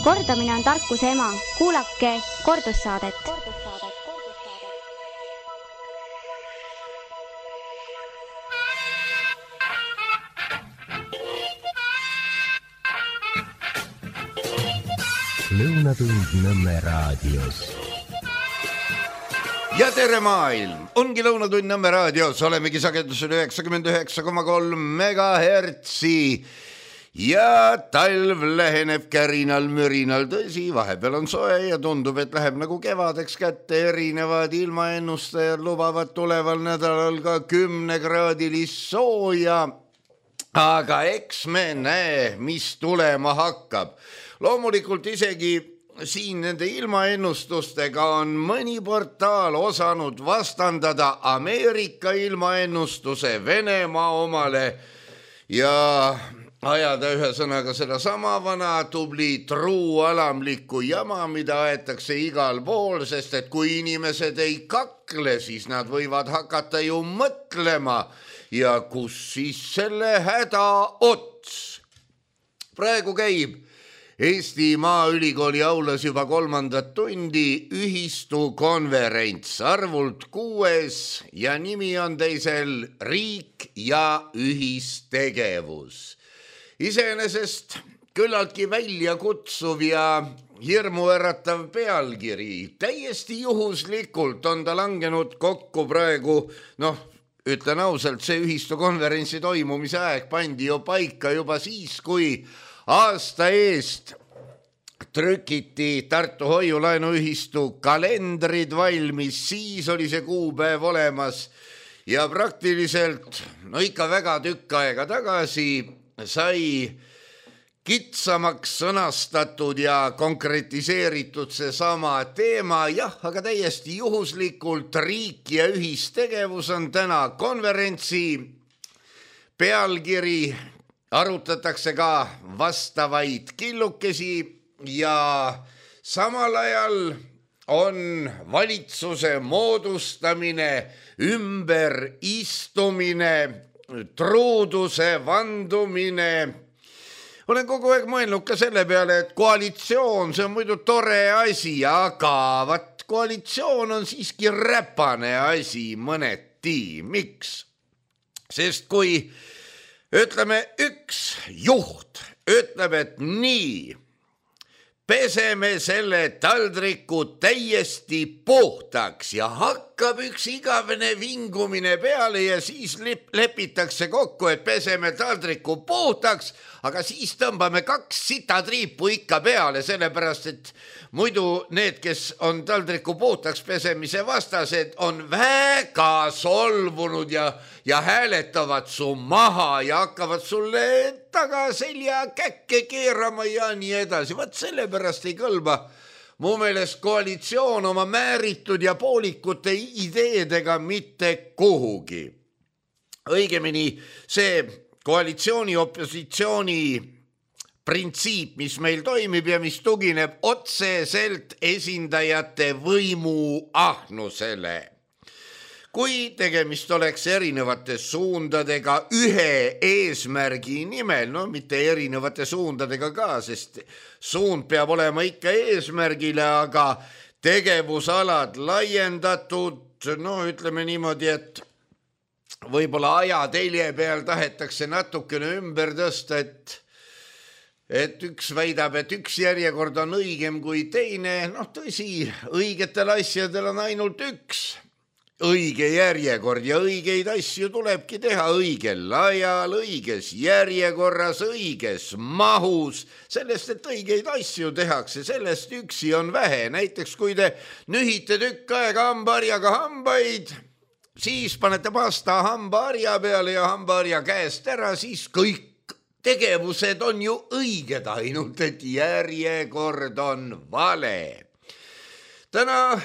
Kordamine on tarkuse ema. Kuulake kordussaadet. Lõunatund Nõmme raadios. Ja tere maailm! Ongi Lõunatund Nõmme raadios. Olemegi sagedusel 99,3 megahertsi. Ja talv läheneb kärinal mürinal. Tõsi, vahepeal on soe ja tundub, et läheb nagu kevadeks kätte. Erinevad ilmaennustajad lubavad tuleval nädalal ka 10-kraadilist sooja. Aga eks me näe, mis tulema hakkab. Loomulikult isegi siin nende ilmaennustustega on mõni portaal osanud vastandada Ameerika ilmaennustuse Venemaa omale ja ajada ühe sõnaga seda sama vana tubli truualamlikku jama, mida aetakse igal pool, sest et kui inimesed ei kakle, siis nad võivad hakata ju mõtlema ja kus siis selle häda ots. Praegu käib Eesti Maaülikooli aulas juba 3. tundi ühistu konverents arvult 6 ja nimi on teisel riik ja ühistegevus. Iseenesest küllaltki väljakutsuv ja hirmuäratav pealkiri. Täiesti juhuslikult on ta langenud kokku praegu, ütlen ausalt, see ühistu konverentsi toimumise aeg pandi ju paika juba siis, kui aasta eest trükiti Tartu hoiulaenuühistu kalendrid valmis, siis oli see kuupäev olemas ja praktiliselt, ikka väga tükk aega tagasi sai kitsamaks sõnastatud ja konkretiseeritud see sama teema, aga täiesti juhuslikult riik ja ühistegevus on täna konverentsi pealkiri. Arutatakse ka vastavaid killukesi ja samal ajal on valitsuse moodustamine, ümberistumine, truuduse vandumine. Olen kogu aeg mõelnud ka selle peale, et koalitsioon, see on muidu tore asi, aga koalitsioon on siiski räpane asi mõneti. Miks? Sest kui ütleme, üks juht ütleb, et nii, peseme selle taldriku täiesti puhtaks ja hakkab üks igavene vingumine peale ja siis lepitakse kokku, et peseme taldriku puhtaks, aga siis tõmbame 2 sitatriipu ikka peale, sellepärast et muidu need, kes on taldriku puhtaks pesemise vastased, on väga solvunud ja hääletavad su maha ja hakkavad sulle taga selja käkke keerama ja nii edasi. Vaat sellepärast ei kõlba mu meelest koalitsioon oma määritud ja poolikute ideedega mitte kuhugi. Õigemini see koalitsiooni-opositsiooni printsiip, mis meil toimib ja mis tugineb otseselt esindajate võimuahnusele. Kui tegemist oleks erinevate suundadega ühe eesmärgi nimel, mitte erinevate suundadega ka, sest suund peab olema ikka eesmärgile, aga tegevusalad laiendatud, ütleme niimoodi, et võib-olla ajatelje peal tahetakse natukene ümber tõsta, et üks väidab, et üks järjekord on õigem kui teine. Tõsi, õigetel asjadel on ainult üks õige järjekord ja õigeid asju tulebki teha õigel ajal, õiges järjekorras, õiges mahus. Sellest, et õigeid asju tehakse, sellest üksi on vähe. Näiteks, kui te nühite tükk aega hambaharjaga hambaid, siis panete pasta hambaharja peale ja hambaharja käest ära, siis kõik tegevused on ju õiged, ainult et järjekord on vale. Täna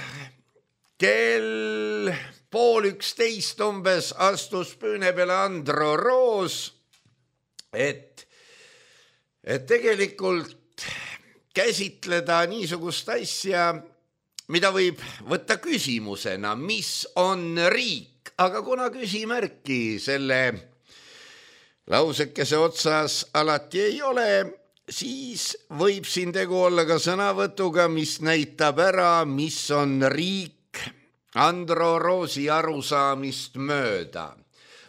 kell 10:30 umbes astus püüne peale Andro Roos, et tegelikult käsitleda niisugust asja, mida võib võtta küsimusena, mis on riik, aga kuna küsimärki selle lausekese otsas alati ei ole, siis võib siin tegu olla ka sõnavõtuga, mis näitab ära, mis on riik Andro Roosi arusaamist mööda.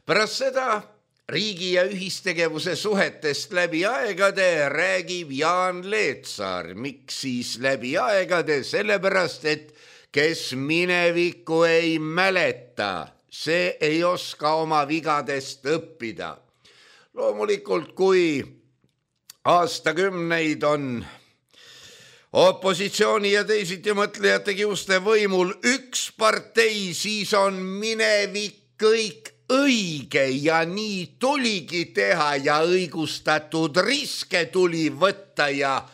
Pärast seda riigi ja ühistegevuse suhetest läbi aegade räägib Jaan Leetsaar. Miks siis läbi aegade? Sellepärast, et kes minevikku ei mäleta, see ei oska oma vigadest õppida. Loomulikult, kui aastakümneid on opositsiooni ja teisiti mõtlejate kiuste võimul üks partei, siis on minevik kõik õige ja nii tuligi teha ja õigustatud riske tuli võtta ja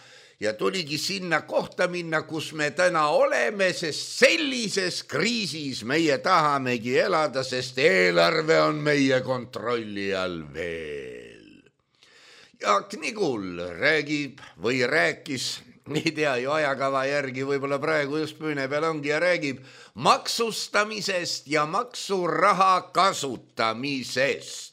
tuligi sinna kohta minna, kus me täna oleme, sest sellises kriisis meie tahamegi elada, sest eelarve on meie kontrolli all veel. Jaak Nigul räägib või rääkis, ei tea ju ajakava järgi, võib-olla praegu just püüne peal ongi ja räägib maksustamisest ja maksuraha kasutamisest.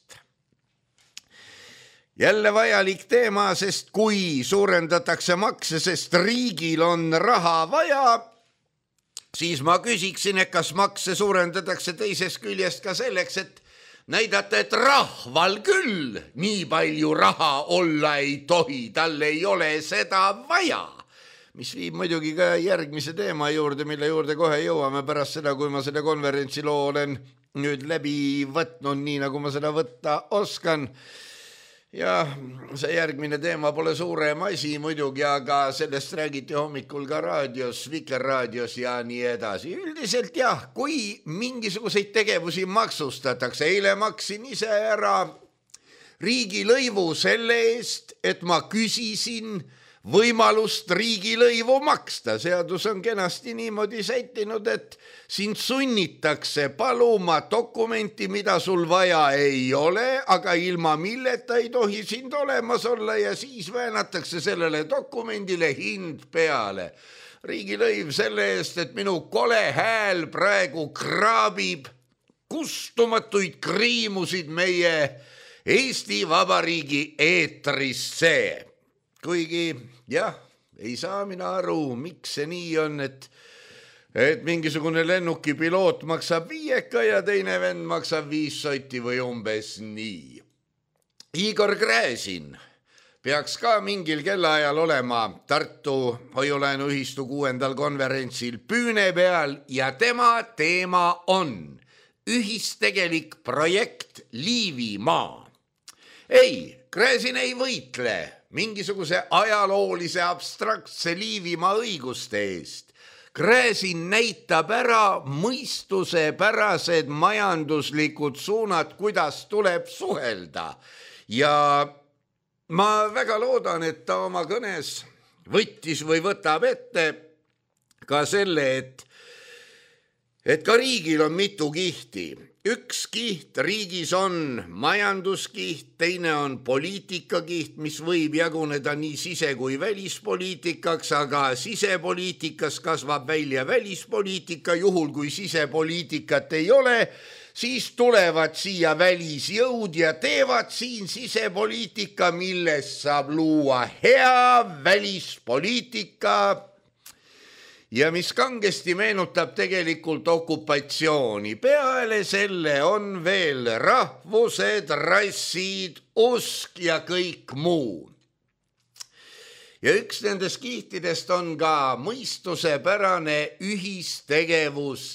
Jälle vajalik teema, sest kui suurendatakse makse, sest riigil on raha vaja, siis ma küsiksin, et kas makse suurendatakse teisest küljest ka selleks, et näidata, et rahval küll nii palju raha olla ei tohi, tal ei ole seda vaja. Mis viib muidugi ka järgmise teema juurde, mille juurde kohe jõuame pärast seda, kui ma selle konverentsi loo olen nüüd läbi võtnud, nii nagu ma seda võtta oskan. Ja see järgmine teema pole suurem asi muidugi, aga sellest räägiti hommikul ka raadios, Vikerraadios ja nii edasi. Üldiselt jah, kui mingisuguseid tegevusi maksustatakse, eile maksin ise ära riigilõivu selle eest, et ma küsisin võimalust riigilõivu maksta. Seadus on kenasti niimoodi sättinud, et sind sunnitakse paluma dokumenti, mida sul vaja ei ole, aga ilma milleta ei tohi sind olemas olla ja siis väänatakse sellele dokumendile hind peale. Riigilõiv selle eest, et minu kole hääl praegu kraabib kustumatuid kriimusid meie Eesti Vabariigi eetrisse. Kuigi jah, ei saa mina aru, miks see nii on, et mingisugune lennuki piloot maksab 5 ja teine vend maksab 5 sotti või umbes nii. Igor Gräzin peaks ka mingil kellaajal olema Tartu Hoiulaenuühistu 6. konverentsil püüne peal ja tema teema on ühistegelik projekt Liivimaa. Ei, Gräzin ei võitle mingisuguse ajaloolise abstraktse Liivimaa õiguste eest. Gräzin näitab ära mõistusepärased majanduslikud suunad, kuidas tuleb suhelda. Ja ma väga loodan, et ta oma kõnes võttis või võtab ette ka selle, et ka riigil on mitu kihti. Üks kiht riigis on majanduskiht, teine on poliitikakiht, mis võib jaguneda nii sise- kui välispoliitikaks, aga sisepoliitikas kasvab välja välispoliitika, juhul kui sisepoliitikat ei ole, siis tulevad siia välisjõud ja teevad siin sisepoliitika, millest saab luua hea välispoliitika ja mis kangesti meenutab tegelikult okupatsiooni. Peale selle on veel rahvused, rassid, usk ja kõik muu. Ja üks nendest kihtidest on ka mõistusepärane ühistegevus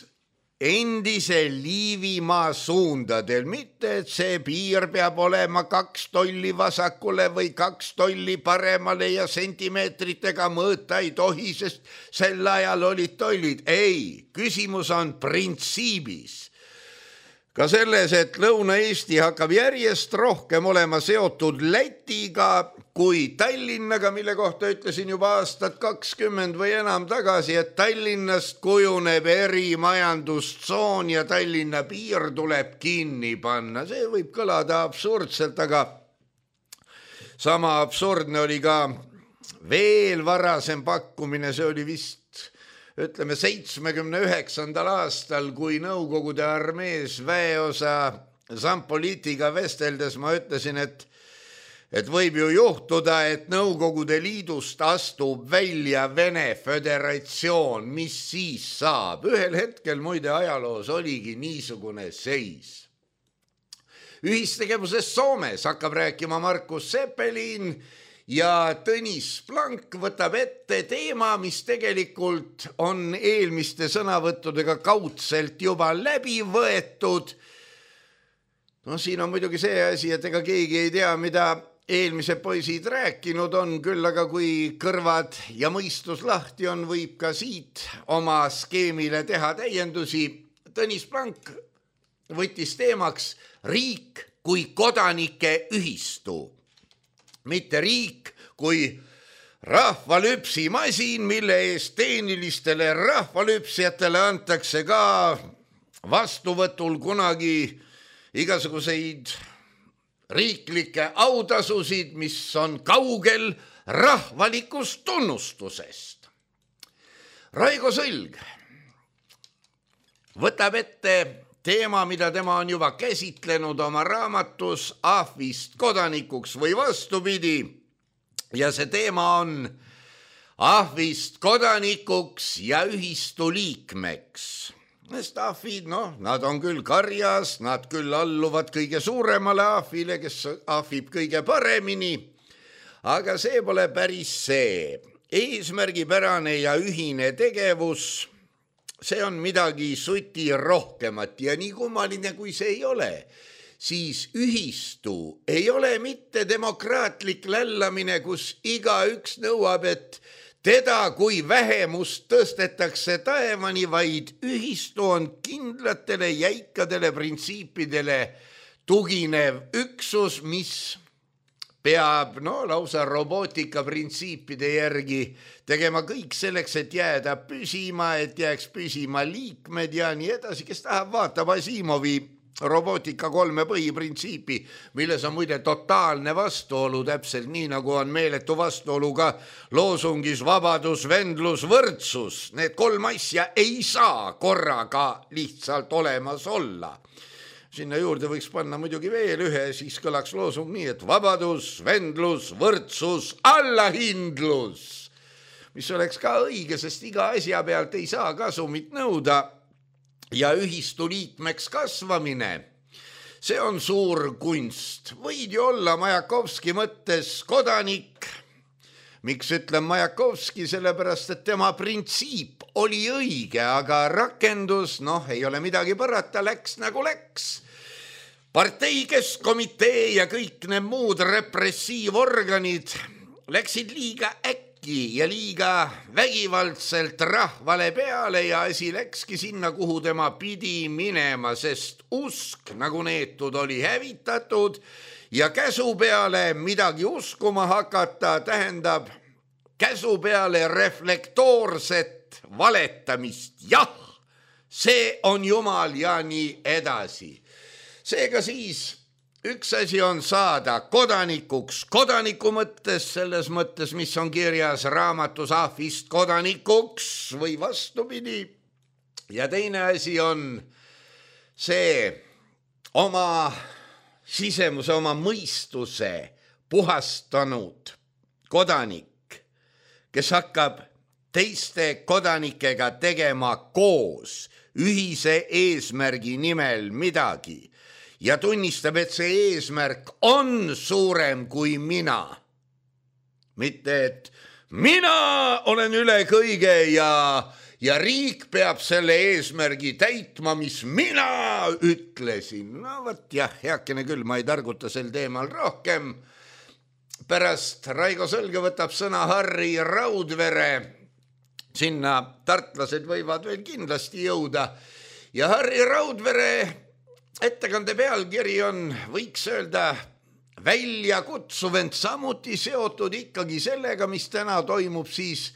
endise Liivimaa suundadel, mitte et see piir peab olema 2 tolli vasakule või 2 tolli paremale ja sentimeetritega mõõta ei tohi, sest sel ajal olid tollid. Ei, küsimus on printsiibis. Ka selles, et Lõuna-Eesti hakkab järjest rohkem olema seotud Lätiga kui Tallinnaga, mille kohta ütlesin juba aastat 20 või enam tagasi, et Tallinnast kujuneb erimajandustsoon ja Tallinna piir tuleb kinni panna. See võib kõlada absurdselt, aga sama absurdne oli ka veel varasem pakkumine, see oli vist 79. aastal, kui Nõukogude armees väeosa Zampolitiga vesteldes ma ütlesin, et et võib ju juhtuda, et Nõukogude Liidust astub välja Vene Föderatsioon, mis siis saab? Ühel hetkel muide ajaloos oligi niisugune seis. Ühistegevusest Soomes hakkab rääkima Markus Seppelin ja Tõnis Plank võtab ette teema, mis tegelikult on eelmiste sõnavõttudega kaudselt juba läbi võetud. No siin on muidugi see asi, et ega keegi ei tea, mida eelmised poisid rääkinud on, küll aga kui kõrvad ja mõistus lahti on, võib ka siit oma skeemile teha täiendusi. Tõnis Plank võttis teemaks riik kui kodanike ühistu. Mitte riik kui rahvalüpsimasin, mille eest tehnilistele rahvalüpsijatele antakse ka vastuvõtul kunagi igasuguseid riiklikke autasusid, mis on kaugel rahvalikust tunnustusest. Raigo Sõlg võtab ette teema, mida tema on juba käsitlenud oma raamatus Ahvist kodanikuks või vastupidi. Ja see teema on Ahvist kodanikuks ja ühistu liikmeks. Sest ahvid, nad on küll karjas, nad küll alluvad kõige suuremale ahvile, kes ahvib kõige paremini, aga see pole päris see. Eesmärgipärane ja ühine tegevus, see on midagi suti rohkemat ja nii kummaline kui see ei ole, siis ühistu ei ole mitte demokraatlik lällamine, kus igaüks nõuab, et teda kui vähemust tõstetakse taevani, vaid ühistu on kindlatele jäikadele printsiipidele tuginev üksus, mis peab lausa robootika printsiipide järgi tegema kõik selleks, et jääda püsima, et jääks püsima liikmed ja nii edasi. Kes tahab, vaatab Asimovi robootika 3 põhiprintsiipi, milles on muide totaalne vastuolu, täpselt nii nagu on meeletu vastuolu ka loosungis vabadus, vendlus, võrdsus. Need 3 asja ei saa korraga lihtsalt olemas olla. Sinna juurde võiks panna muidugi veel ühe, siis kõlaks loosung nii, et vabadus, vendlus, võrdsus, allahindlus, mis oleks ka õige, sest iga asja pealt ei saa kasumit nõuda. Ja ühistu liikmeks kasvamine, see on suur kunst. Võid ju olla Majakovski mõttes kodanik. Miks ütlen Majakovski? Sellepärast, et tema printsiip oli õige, aga rakendus, ei ole midagi parata, läks nagu läks. Partei keskkomitee ja kõik need muud repressiivorganid läksid liiga äkki ja liiga vägivaldselt rahvale peale ja asi läkski sinna, kuhu tema pidi minema, sest usk nagu neetud oli hävitatud ja käsu peale midagi uskuma hakata tähendab käsu peale reflektoorset valetamist. Jah, see on Jumal ja nii edasi. Seega siis üks asi on saada kodanikuks kodaniku mõttes, selles mõttes, mis on kirjas raamatus Ahvist kodanikuks või vastupidi. Ja teine asi on see oma sisemuse, oma mõistuse puhastanud kodanik, kes hakkab teiste kodanikega tegema koos ühise eesmärgi nimel midagi ja tunnistab, et see eesmärk on suurem kui mina. Mitte, et mina olen üle kõige ja riik peab selle eesmärgi täitma, mis mina ütlesin. Võt jah, heakene küll, ma ei targuta sel teemal rohkem. Pärast Raigo Sõlge võtab sõna Harri Raudvere. Sinna tartlased võivad veel kindlasti jõuda. Ja Harri Raudvere ettekande pealkiri on, võiks öelda, väljakutsuv, ent samuti seotud ikkagi sellega, mis täna toimub siis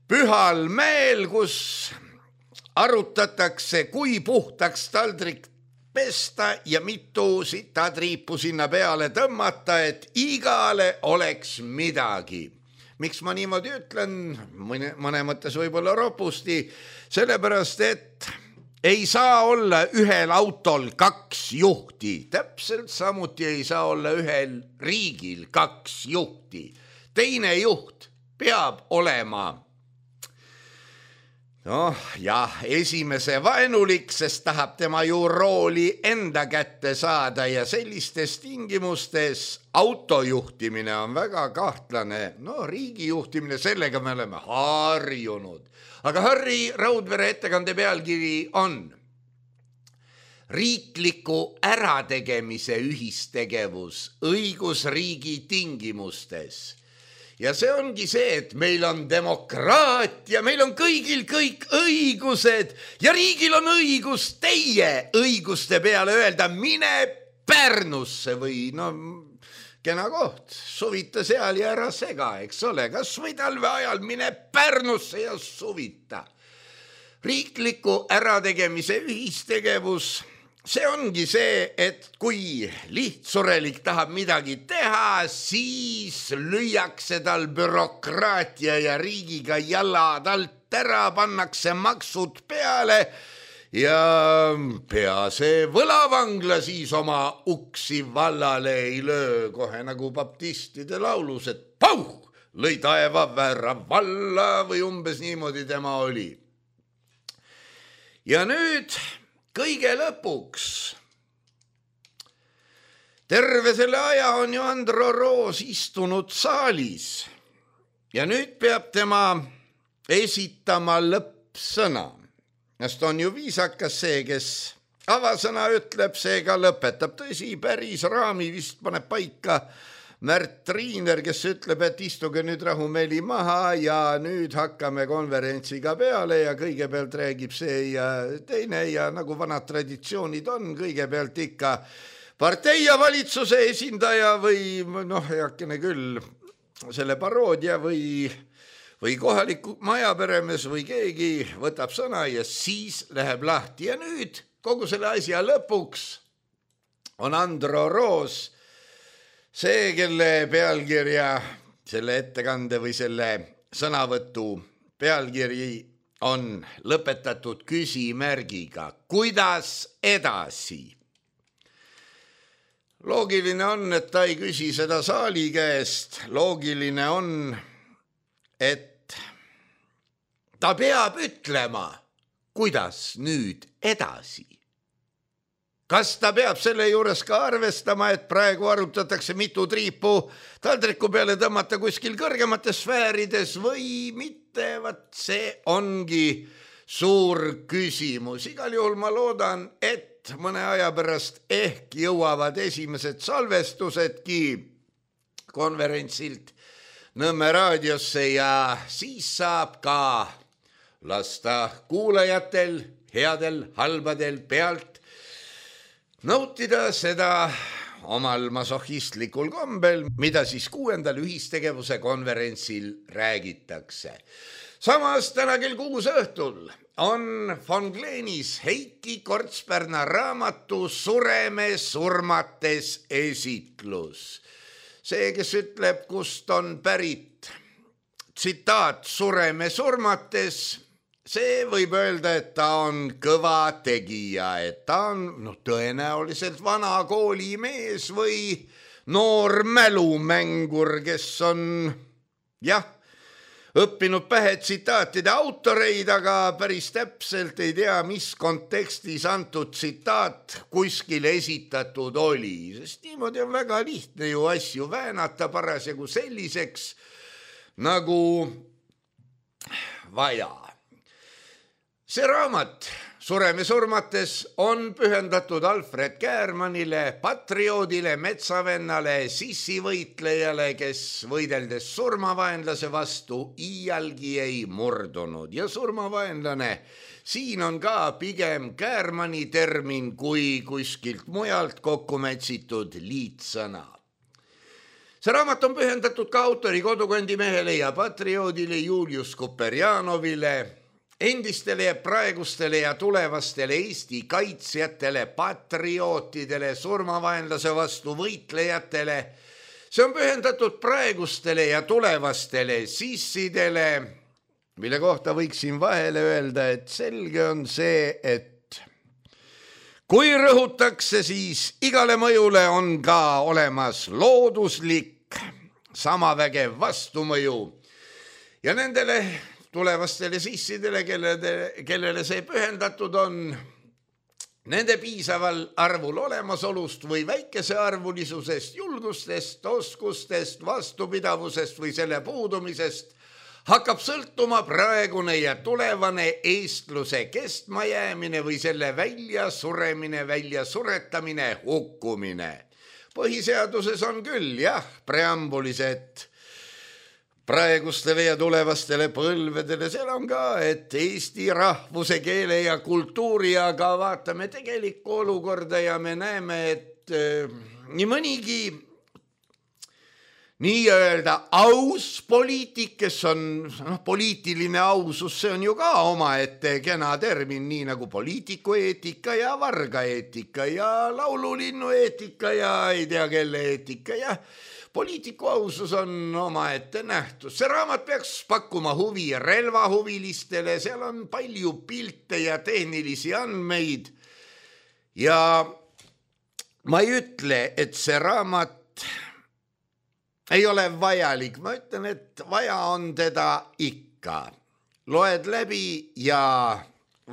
Pühal mäel, kus arutatakse, kui puhtaks taldrik pesta ja mitu sitatriipu sinna peale tõmmata, et igale oleks midagi. Miks ma niimoodi ütlen? Mõne mõttes võib-olla ropusti, sellepärast, et ei saa olla ühel autol 2 juhti, täpselt samuti ei saa olla ühel riigil 2 juhti. Teine juht peab olema esimese vaenulik, sest tahab tema ju rooli enda kätte saada ja sellistes tingimustes autojuhtimine on väga kahtlane. Riigi juhtimine, sellega me oleme harjunud. Aga Harri Raudvere ettekande pealkiri on riikliku ärategemise ühistegevus õigusriigi tingimustes. Ja see ongi see, et meil on demokraatia, meil on kõigil kõik õigused ja riigil on õigus teie õiguste peale öelda, mine Pärnusse või kena koht, suvita seal ja ära sega, eks ole, kas või talve ajal mine Pärnusse ja suvita. Riikliku ärategemise ühistegevus, see ongi see, et kui lihtsurelik tahab midagi teha, siis lüüakse tal bürokraatia ja riigiga jalad alt ära, pannakse maksud peale ja pea see võlavangla siis oma uksi vallale ei löö, kohe nagu baptistide laulus, et pauh, lõi taeva väära valla või umbes niimoodi tema oli. Ja nüüd kõige lõpuks, terve selle aja on ju Andro Roos istunud saalis ja nüüd peab tema esitama lõppsõna. Sest on ju viisakas see, kes avasõna ütleb, seega lõpetab. Tõsi, päris raami vist paneb paika Märt Triiner, kes ütleb, et istuge nüüd rahumeeli maha ja nüüd hakkame konverentsiga peale ja kõigepealt räägib see ja teine ja nagu vanad traditsioonid on, kõigepealt ikka partei ja valitsuse esindaja või heakene küll selle paroodia või kohaliku majaperemees või keegi võtab sõna ja siis läheb lahti. Ja nüüd kogu selle asja lõpuks on Andro Roos, see, kelle pealkirja, selle ettekande või selle sõnavõtu pealkiri on lõpetatud küsimärgiga. Kuidas edasi? Loogiline on, et ta ei küsi seda saali käest. Loogiline on, et ta peab ütlema, kuidas nüüd edasi. Kas ta peab selle juures ka arvestama, et praegu arutatakse mitu triipu taldriku peale tõmmata kuskil kõrgemates sfäärides või mitte? See ongi suur küsimus. Igal juhul ma loodan, et mõne aja pärast ehk jõuavad esimesed salvestusedki konverentsilt Nõmme raadiosse ja siis saab ka lasta kuulajatel, headel, halbadel pealt nautida seda omal masohhistlikul kombel, mida siis 6. ühistegevuse konverentsil räägitakse. Samas täna kell 6 õhtul on von Gleenis Heiki Kortspärna raamatu Sureme surmates esitlus. See, kes ütleb, kust on pärit tsitaat Sureme surmates, see võib öelda, et ta on kõva tegija, et ta on tõenäoliselt vana koolimees või noor mälumängur, kes on õppinud pähe tsitaatide autoreid, aga päris täpselt ei tea, mis kontekstis antud tsitaat kuskil esitatud oli. Sest niimoodi on väga lihtne ju asju väänata parasjagu selliseks nagu vaja. See raamat Sureme surmates on pühendatud Alfred Käärmanile, patrioodile, metsavennale, sissivõitlejale, kes võideldes surmavaenlase vastu iialgi ei murdunud. Ja surmavaenlane, siin on ka pigem Käärmani termin kui kuskilt mujalt kokku mätsitud liitsõna. See raamat on pühendatud ka autori kodukandimehele ja patrioodile Julius Kuperjanovile, endistele ja praegustele ja tulevastele Eesti kaitsjatele, patriootidele, surmavaenlase vastu võitlejatele. See on pühendatud praegustele ja tulevastele sissidele, mille kohta võiksin vahele öelda, et selge on see, et kui rõhutakse, siis igale mõjule on ka olemas looduslik samavägev vastumõju ja nendele tulevastele sissidele, kellele see pühendatud on, nende piisaval arvul olemasolust või väikesearvulisusest, julgustest, oskustest, vastupidavusest või selle puudumisest hakkab sõltuma praegune ja tulevane eestluse kestmajäämine või selle väljasuremine, väljasuretamine, hukkumine. Põhiseaduses on küll preambulis, et praegustele ja tulevastele põlvedele, seal on ka, et eesti rahvuse, keele ja kultuuri, aga vaatame tegelikku olukorda ja me näeme, et nii mõnigi nii-öelda aus poliitik, kes on poliitiline ausus, see on ju ka omaette kena termin, nii nagu poliitikueetika ja vargaeetika ja laululinnueetika ja ei tea kelle eetika ja poliitiku ausus on omaette nähtus. See raamat peaks pakkuma huvi relvahuvilistele, seal on palju pilte ja tehnilisi andmeid ja ma ei ütle, et see raamat ei ole vajalik, ma ütlen, et vaja on teda ikka. Loed läbi ja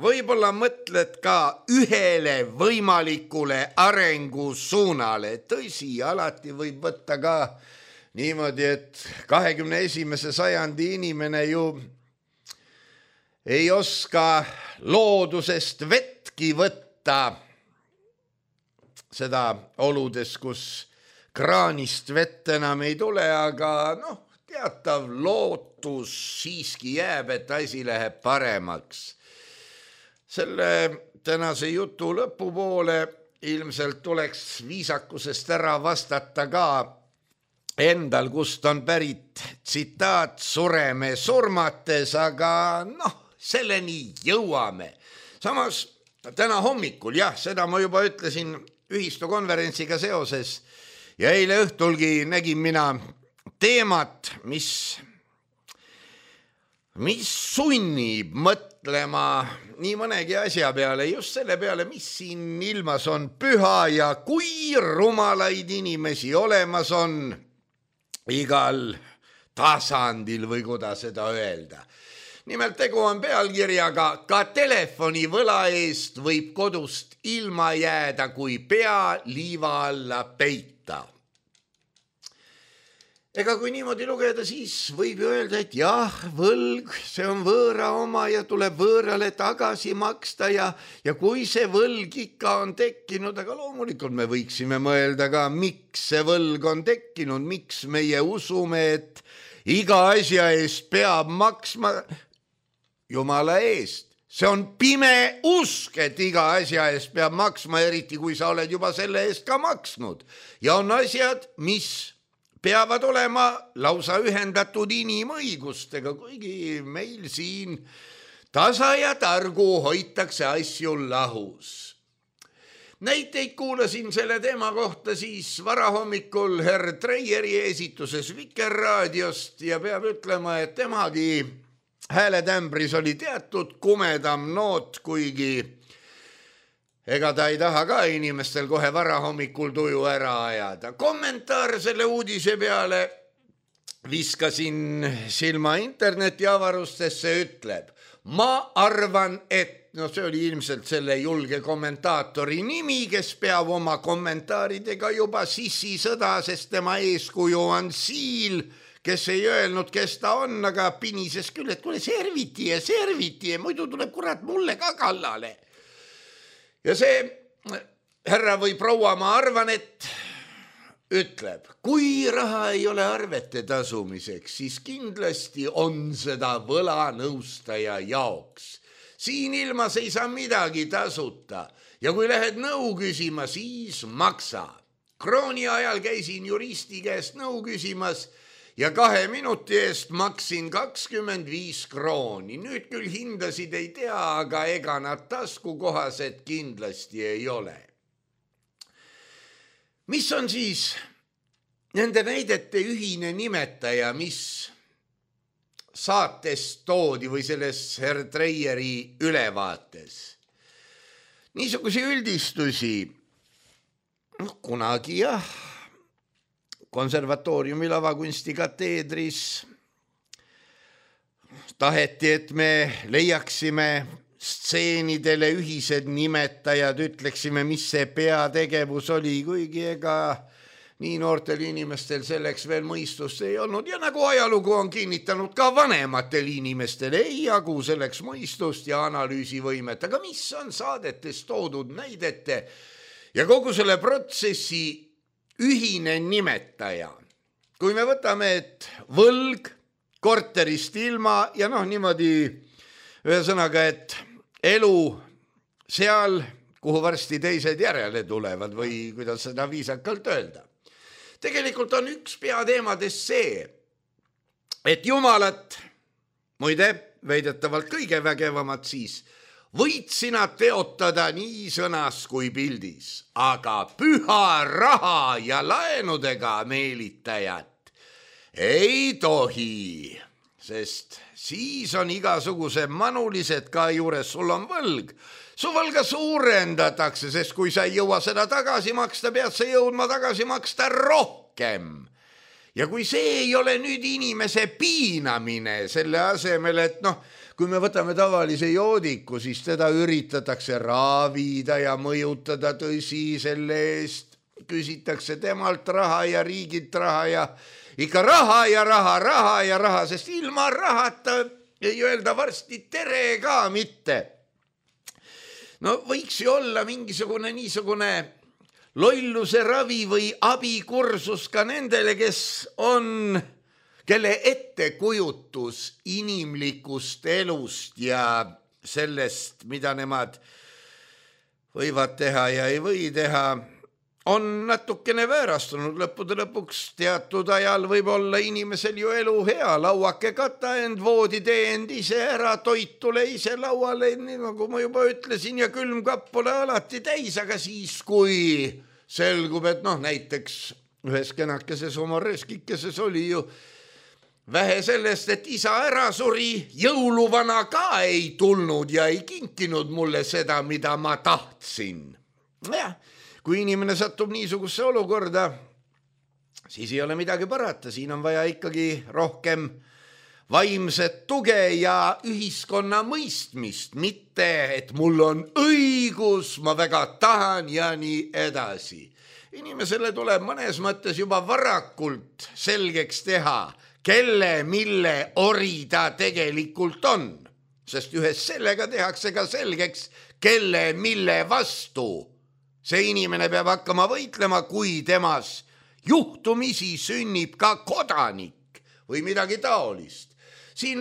võib-olla mõtled ka ühele võimalikule arengusuunale. Tõsi, alati võib võtta ka niimoodi, et 21. sajandi inimene ju ei oska loodusest vettki võtta, seda oludes, kus kraanist vett enam ei tule, aga teatav lootus siiski jääb, et asi läheb paremaks. Selle tänase jutu lõpupoole ilmselt tuleks viisakusest ära vastata ka endal, kust on pärit tsitaat sureme surmates, aga selleni jõuame. Samas täna hommikul, seda ma juba ütlesin ühistukonverentsiga seoses ja eile õhtulgi nägin mina teemat, mis sunnib mõtlema nii mõnegi asja peale, just selle peale, mis siin ilmas on püha ja kui rumalaid inimesi olemas on igal tasandil või kuidas seda öelda. Nimelt tegu on pealkirjaga ka telefonivõla eest võib kodust ilma jääda, kui pea liiva alla peita. Ega kui niimoodi lugeda, siis võib ju öelda, et võlg, see on võõra oma ja tuleb võõrale tagasi maksta ja kui see võlg ikka on tekkinud, aga loomulikult me võiksime mõelda ka, miks see võlg on tekkinud, miks meie usume, et iga asja eest peab maksma Jumala eest. See on pime usk, et iga asja eest peab maksma, eriti kui sa oled juba selle eest ka maksnud. Ja on asjad, mis peavad olema lausa ühendatud inimõigustega, kuigi meil siin tasa ja targu hoitakse asju lahus. Näiteid kuulasin selle teema kohta siis varahommikul herr Treieri esituses Vikerraadiost ja peab ütlema, et temagi hääletämbris oli teatud kumedam noot, kuigi ega ta ei taha ka inimestel kohe varahommikul tuju ära ajada. Kommentaar selle uudise peale viskasin silma internetiavarustesse, ütleb, ma arvan, et see oli ilmselt selle julge kommentaatori nimi, kes peab oma kommentaaridega juba sissisõda, sest tema eeskuju on Siil, kes ei öelnud, kes ta on, aga pinises küll, et kuule serviti ja muidu tuleb kurat mulle ka kallale. Ja see härra või proua, ma arvan, et ütleb, kui raha ei ole arvete tasumiseks, siis kindlasti on seda võlanõustaja jaoks. Siin ilmas ei saa midagi tasuta ja kui lähed nõu küsima, siis maksa. Krooni ajal käisin juristi käest nõu küsimas ja 2 minuti eest maksin 25 krooni. Nüüd küll hindasid ei tea, aga ega nad taskukohased kindlasti ei ole. Mis on siis nende näidete ühine nimetaja, mis saates toodi või selles herr Treieri ülevaates? niisuguse üldistusi, kunagi jah, konservatooriumi lavakunsti kateedris taheti, et me leiaksime stseenidele ühised nimetajad, ütleksime, mis see peategevus oli, kuigi ega nii noortel inimestel selleks veel mõistust ei olnud ja nagu ajalugu on kinnitanud, ka vanematel inimestel ei jagu selleks mõistust ja analüüsivõimet, aga mis on saadetes toodud näidete ja kogu selle protsessi ühine nimetaja. Kui me võtame, et võlg, korterist ilma ja niimoodi ühesõnaga, et elu seal, kuhu varsti teised järele tulevad või kuidas seda viisakalt öelda. Tegelikult on üks peateemades see, et Jumalat, muide, väidetavalt kõige vägevamat siis, võid sina teotada nii sõnas kui pildis, aga püha raha ja laenudega meelitajat ei tohi, sest siis on igasuguse manulised ka juures, sul on võlg. Su võlga suurendatakse, sest kui sa ei jõua seda tagasi maksta, pead sa jõudma tagasi maksta rohkem. Ja kui see ei ole nüüd inimese piinamine selle asemel, et kui me võtame tavalise joodiku, siis teda üritatakse raavida ja mõjutada, tõsi, selle eest küsitakse temalt raha ja riigilt raha ja ikka raha ja raha, sest ilma rahata ei öelda varsti tere ka mitte. Võiks ju olla mingisugune niisugune lolluse ravi või abikursus ka nendele, kelle ettekujutus inimlikust elust ja sellest, mida nemad võivad teha ja ei või teha, on natukene väärastunud. Lõppude lõpuks teatud ajal võib olla inimesel ju elu hea, lauake kata end, voodi tee end ise ära, toit tule ise lauale, nii nagu ma juba ütlesin, ja külmkapp pole alati täis, aga siis, kui selgub, et näiteks ühes kenakeses oma reskikeses oli ju vähe sellest, et isa ära suri, jõuluvana ka ei tulnud ja ei kinkinud mulle seda, mida ma tahtsin. Jah. Kui inimene satub niisugusesse olukorda, siis ei ole midagi parata, siin on vaja ikkagi rohkem vaimset tuge ja ühiskonna mõistmist, mitte et mul on õigus, ma väga tahan ja nii edasi. Inimesele tuleb mõnes mõttes juba varakult selgeks teha, kelle, mille ori ta tegelikult on, sest ühes sellega tehakse ka selgeks, kelle, mille vastu. See inimene peab hakkama võitlema, kui temas juhtumisi sünnib ka kodanik või midagi taolist. Siin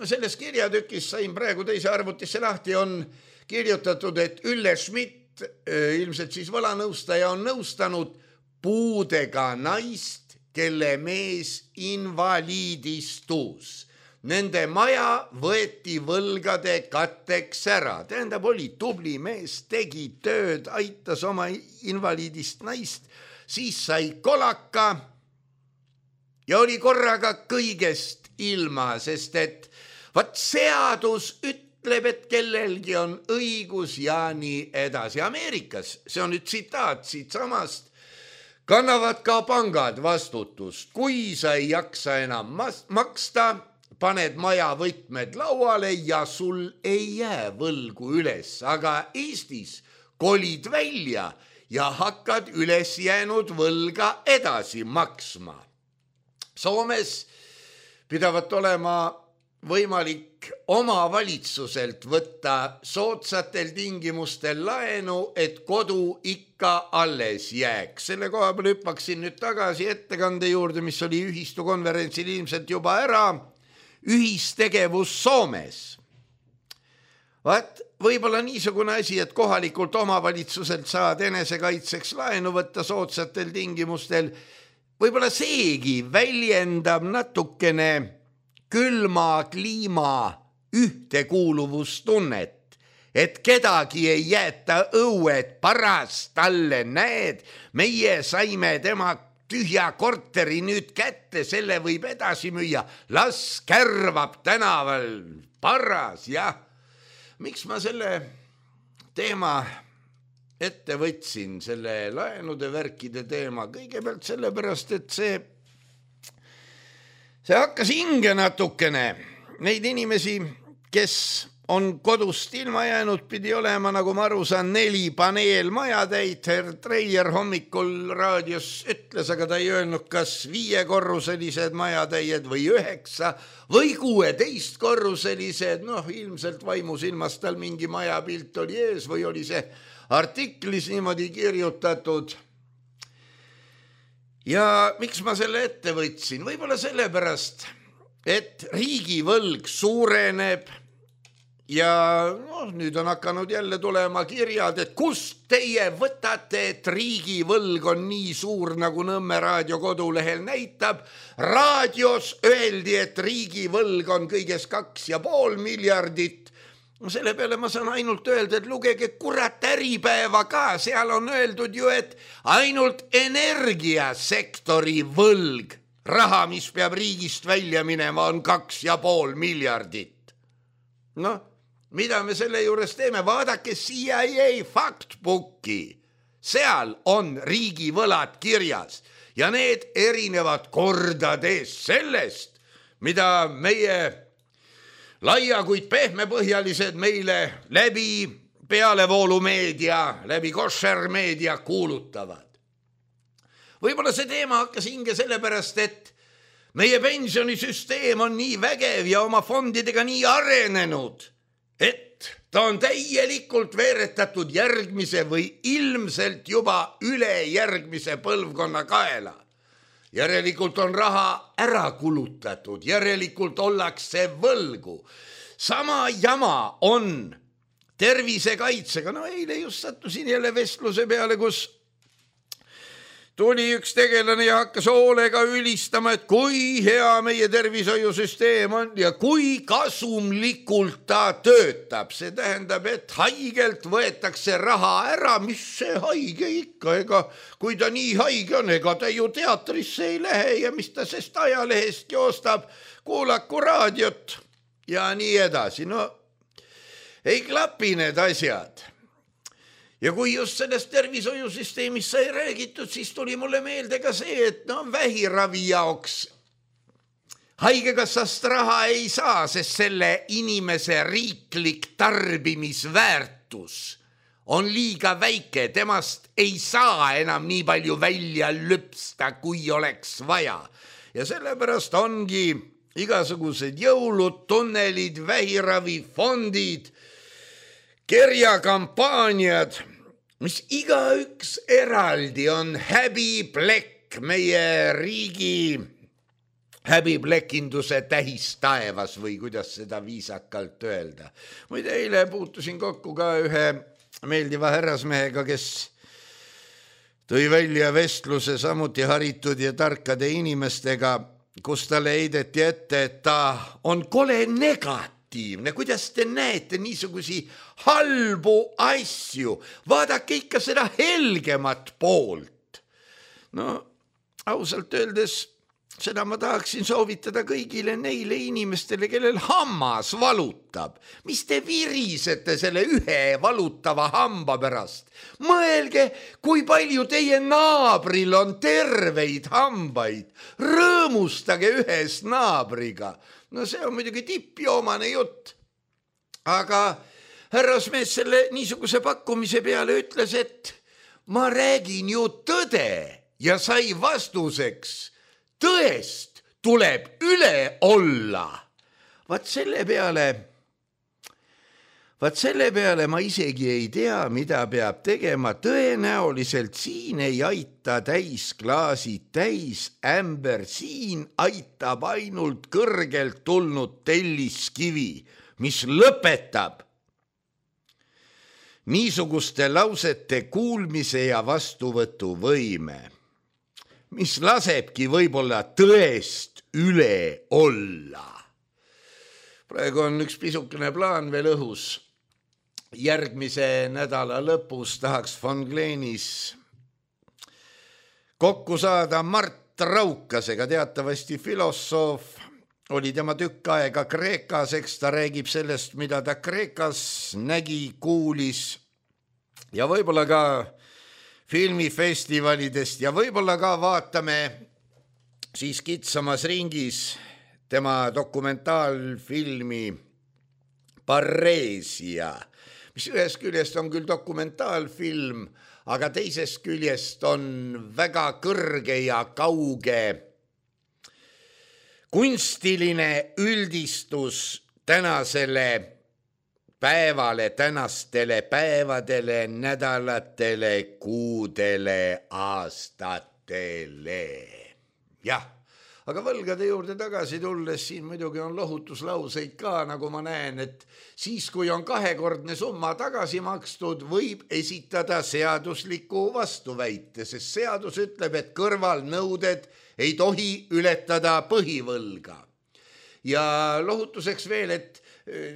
selles kirjatükis sain praegu teise arvutisse lahti, on kirjutatud, et Ülle Schmidt, ilmselt siis võlanõustaja, on nõustanud puudega naist, kelle mees invaliidistus. Nende maja võeti võlgade katteks ära. Tähendab, oli tubli mees, tegi tööd, aitas oma invaliidist naist, siis sai kolaka ja oli korraga kõigest ilma, sest et seadus ütleb, et kellelgi on õigus ja nii edasi. Ameerikas, see on nüüd tsitaat siit samast, kannavad ka pangad vastutust. Kui sa ei jaksa enam maksta, paned maja võtmed lauale ja sul ei jää võlgu üles, aga Eestis kolid välja ja hakkad üles jäänud võlga edasi maksma. Soomes pidavat olema võimalik omavalitsuselt võtta soodsatel tingimustel laenu, et kodu ikka alles jääks. Selle koha peal hüppaksin nüüd tagasi ettekande juurde, mis oli ühistukonverentsil ilmselt juba ära. Ühistegevus Soomes. Võib-olla niisugune asi, et kohalikult omavalitsuselt saad enesekaitseks laenu võtta soodsatel tingimustel, võib-olla seegi väljendab natukene külma kliima ühtekuuluvustunnet, et kedagi ei jäeta õued paras talle, näed, meie saime tema tühja korteri nüüd kätte, selle võib edasi müüa, las kärvab tänaval paras, jah. Miks ma selle teema ette võtsin selle laenude värkide teema kõigepealt sellepärast, et see hakkas hinge natukene. Neid inimesi, kes on kodust ilma jäänud, pidi olema, nagu ma aru saan, 4 paneelmajatäit. Herr Treier hommikul raadios ütles, aga ta ei öelnud, kas 5-korruselised majatäied või 9 või 16-korruselised. Ilmselt vaimusilmas tal mingi majapilt oli ees või oli see artiklis niimoodi kirjutatud. Ja miks ma selle ette võtsin? Võib-olla sellepärast, et riigivõlg suureneb ja nüüd on hakanud jälle tulema kirjad, et kust teie võtate, et riigivõlg on nii suur, nagu Nõmme raadio kodulehel näitab. Raadios öeldi, et riigivõlg on kõiges 2,5 miljardit. Selle peale ma saan ainult öelda, et lugege kurat Äripäeva ka, seal on öeldud ju, et ainult energiasektori võlg, raha, mis peab riigist välja minema, on 2,5 miljardit. Mida me selle juures teeme? Vaadake CIA faktbooki. Seal on riigivõlad kirjas ja need erinevad kordades sellest, mida meie laia, kuid pehmepõhjalised meile läbi pealevoolumeedia, läbi koššermeedia kuulutavad. Võib-olla see teema hakkas hinge sellepärast, et meie pensionisüsteem on nii vägev ja oma fondidega nii arenenud, et ta on täielikult veeretatud järgmise või ilmselt juba ülejärgmise põlvkonna kaela. Järelikult on raha ära kulutatud, järelikult ollakse võlgu. Sama jama on tervisekaitsega. Eile just sattusin jälle vestluse peale, kus tuli üks tegelane ja hakkas hoolega ülistama, et kui hea meie tervishoiusüsteem on ja kui kasumlikult ta töötab. See tähendab, et haigelt võetakse raha ära, mis see haige ikka, kui ta nii haige on, ega ta ju teatrisse ei lähe ja mis ta sest ajalehest joostab, kuulaku raadiot ja nii edasi. Ei klapi need asjad. Ja kui just sellest tervishoiusüsteemist sai räägitud, siis tuli mulle meelde ka see, et vähiravi jaoks haigekassast raha ei saa, sest selle inimese riiklik tarbimisväärtus on liiga väike, temast ei saa enam nii palju välja lüpsta, kui oleks vaja. Ja sellepärast ongi igasugused jõulud, tunnelid, vähiravifondid, kerjakampaaniad, mis igaüks eraldi on häbiplekk meie riigi häbiplekinduse tähistaevas või kuidas seda viisakalt öelda. Muide, eile puutusin kokku ka ühe meeldiva härrasmehega, kes tõi välja vestluse samuti haritud ja tarkade inimestega, kus talle heideti ette, et ta on kole negatiivne. Kuidas te näete niisugusi halbu asju? Vaadake ikka seda helgemat poolt. Ausalt öeldes seda ma tahaksin soovitada kõigile neile inimestele, kellel hammas valutab. Mis te virisete selle ühe valutava hamba pärast? Mõelge, kui palju teie naabril on terveid hambaid. Rõõmustage ühes naabriga. See on muidugi tippjoomane jutt. Aga härrasmees selle niisuguse pakkumise peale ütles, et ma räägin ju tõde ja sai vastuseks, tõest tuleb üle olla. Vaat selle peale ma isegi ei tea, mida peab tegema. Tõenäoliselt siin ei aita täisklaasid, täisämber, siin aitab ainult kõrgelt tulnud telliskivi, mis lõpetab niisuguste lausete kuulmise ja vastuvõtu võime, mis lasebki võib-olla tõest üle olla. Praegu on üks pisukene plaan veel õhus. Järgmise nädala lõpus tahaks von Gleenis kokku saada Mart Raukasega, teatavasti filosoof, oli tema tükk aega Kreekas, eks ta räägib sellest, mida ta Kreekas nägi, kuulis ja võib-olla ka filmifestivalidest ja võib-olla ka vaatame siis kitsamas ringis tema dokumentaalfilmi Pareesia, mis ühest küljest on küll dokumentaalfilm, aga teisest küljest on väga kõrge ja kauge kunstiline üldistus tänasele päevale, tänastele päevadele, nädalatele, kuudele, aastatele. Jah, aga võlgade juurde tagasi tulles siin muidugi on lohutuslauseid ka, nagu ma näen, et siis, kui on 2-kordne summa tagasi makstud, võib esitada seadusliku vastuväite, sest seadus ütleb, et kõrvalnõuded ei tohi ületada põhivõlga. Ja lohutuseks veel, et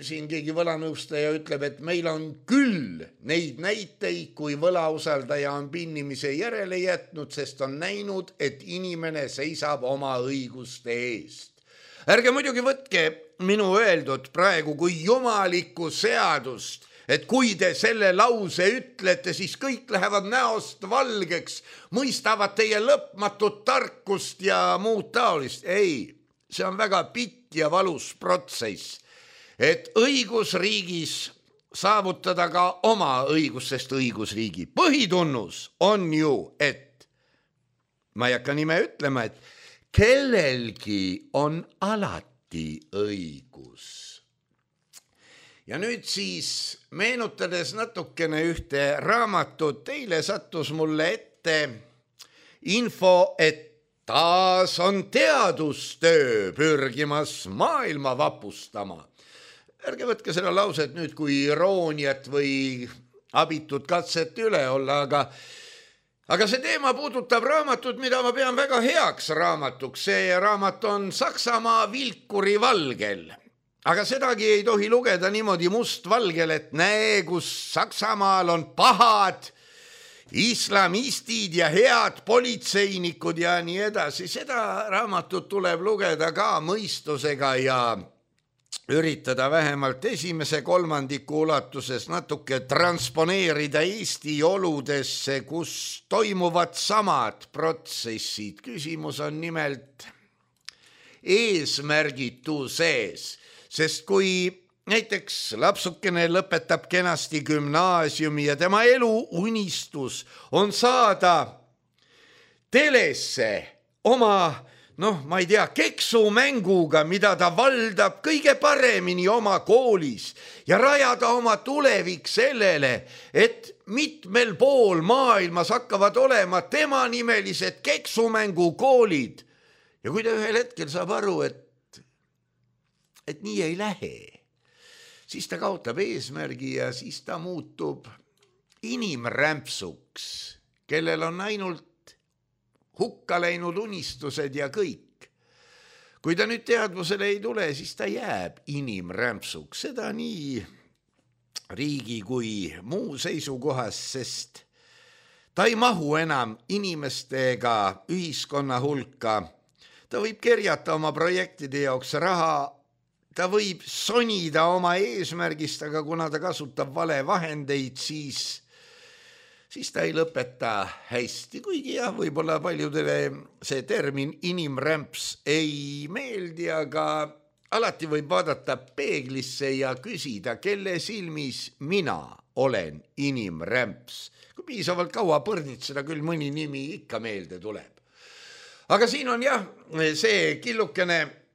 siin keegi võlanõustaja ütleb, et meil on küll neid näiteid, kui võlausaldaja on pinnimise järele jätnud, sest on näinud, et inimene seisab oma õiguste eest. Ärge muidugi võtke minu öeldud praegu kui jumalikku seadust, et kui te selle lause ütlete, siis kõik lähevad näost valgeks, mõistavad teie lõpmatut tarkust ja muud taolist. Ei, see on väga pitt ja valus protsess. Et õigusriigis saavutada ka oma õigus, sest õigusriigi põhitunnus on ju, et ma ei hakka nime ütlema, et kellelgi on alati õigus. Ja nüüd siis meenutades natukene ühte raamatut, teile sattus mulle ette info, et taas on teadustöö pürgimas maailma vapustama. Ärge võtke seda lauset nüüd kui irooniat või abitut katset üle olla, aga see teema puudutab raamatut, mida ma pean väga heaks raamatuks. See raamat on Saksamaa vilkuri valgel. Aga sedagi ei tohi lugeda niimoodi mustvalgel, et näe, kus Saksamaal on pahad islamistid ja head politseinikud ja nii edasi. Seda raamatut tuleb lugeda ka mõistusega ja üritada vähemalt esimese kolmandiku ulatuses natuke transponeerida Eesti oludesse, kus toimuvad samad protsessid. Küsimus on nimelt eesmärgituses, sest kui näiteks lapsukene lõpetab kenasti gümnaasiumi ja tema eluunistus on saada telesse oma ma ei tea, keksumänguga, mida ta valdab kõige paremini oma koolis ja rajada oma tulevik sellele, et mitmel pool maailmas hakkavad olema tema nimelised keksumängukoolid. Ja kui ta ühel hetkel saab aru, et nii ei lähe, siis ta kaotab eesmärgi ja siis ta muutub inimrämpsuks, kellel on ainult hukka läinud unistused ja kõik. Kui ta nüüd teadvusele ei tule, siis ta jääb inimrämpsuks. Seda nii riigi kui muu seisukohas, sest ta ei mahu enam inimestega ühiskonna hulka. Ta võib kerjata oma projektide jaoks raha, ta võib sonida oma eesmärgist, aga kuna ta kasutab vale vahendeid, siis ta ei lõpeta hästi, kuigi jah, võib-olla paljudele see termin inimrämps ei meeldi, aga alati võib vaadata peeglisse ja küsida, kelle silmis mina olen inimrämps. Kui piisavalt kaua põrnitseda, küll mõni nimi ikka meelde tuleb. Aga siin on jah see killukene,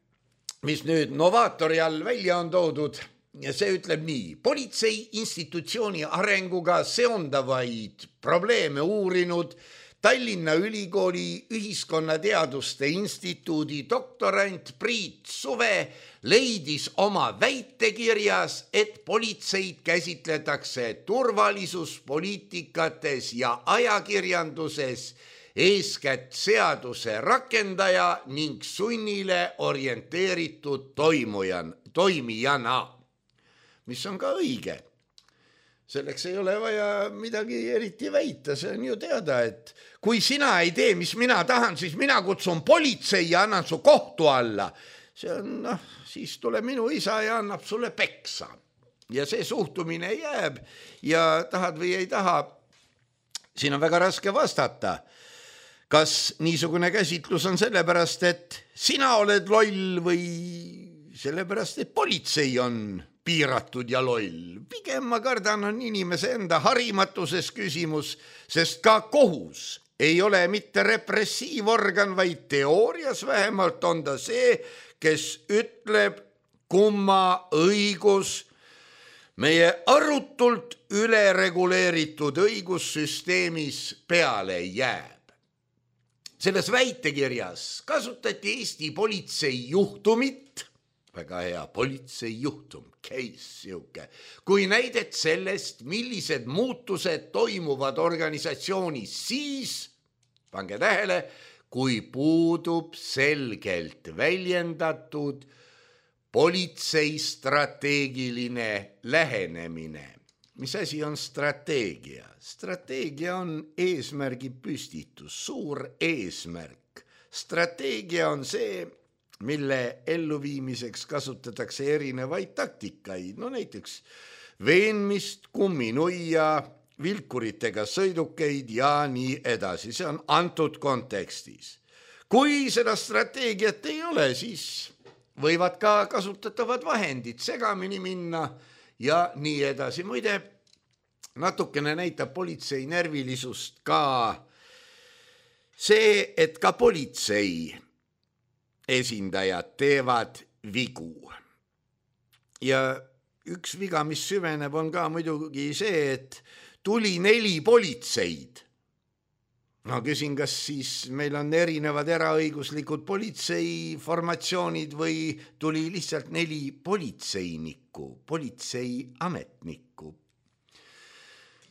mis nüüd Novaatori all välja on toodud. Ja see ütleb nii, politsei institutsiooni arenguga seondavaid probleeme uurinud Tallinna Ülikooli ühiskonnateaduste instituudi doktorant Priit Suve leidis oma väitekirjas, et politseid käsitletakse turvalisuspoliitikates ja ajakirjanduses eeskätt seaduse rakendaja ning sunnile orienteeritud toimijana. Mis on ka õige. Selleks ei ole vaja midagi eriti väita, see on ju teada, et kui sina ei tee, mis mina tahan, siis mina kutsun politsei ja annan su kohtu alla. See on, siis tuleb minu isa ja annab sulle peksa. ja see suhtumine jääb ja tahad või ei taha, siin on väga raske vastata. Kas niisugune käsitlus on sellepärast, et sina oled loll või sellepärast, et politsei on piiratud ja loll? Pigem ma kardan on inimese enda harimatuses küsimus, sest ka kohus ei ole mitte repressiivorgan, vaid teoorias vähemalt on ta see, kes ütleb, kumma õigus meie arutult ülereguleeritud õigussüsteemis peale jääb. Selles väitekirjas kasutati Eesti politsei juhtumit, väga hea politsei juhtum, case siuke, kui näidet sellest, millised muutused toimuvad organisatsioonis siis, pange tähele, kui puudub selgelt väljendatud politsei strateegiline lähenemine. Mis asi on strateegia? Strateegia on eesmärgi püstitus, suur eesmärk. Strateegia on see, mille elluviimiseks kasutatakse erinevaid taktikaid, no näiteks veenmist, kumminuia, vilkuritega sõidukeid ja nii edasi. See on antud kontekstis. Kui seda strateegiat ei ole, siis võivad ka kasutatavad vahendid segamini minna ja nii edasi. Muide, natukene näitab politsei närvilisust ka see, et ka politsei esindajad teevad vigu. Ja üks viga, mis süveneb, on ka muidugi see, et tuli 4 politseid. No küsin, kas siis meil on erinevad eraõiguslikud politseiformatsioonid või tuli lihtsalt 4 politseinikku, politseiametnikku.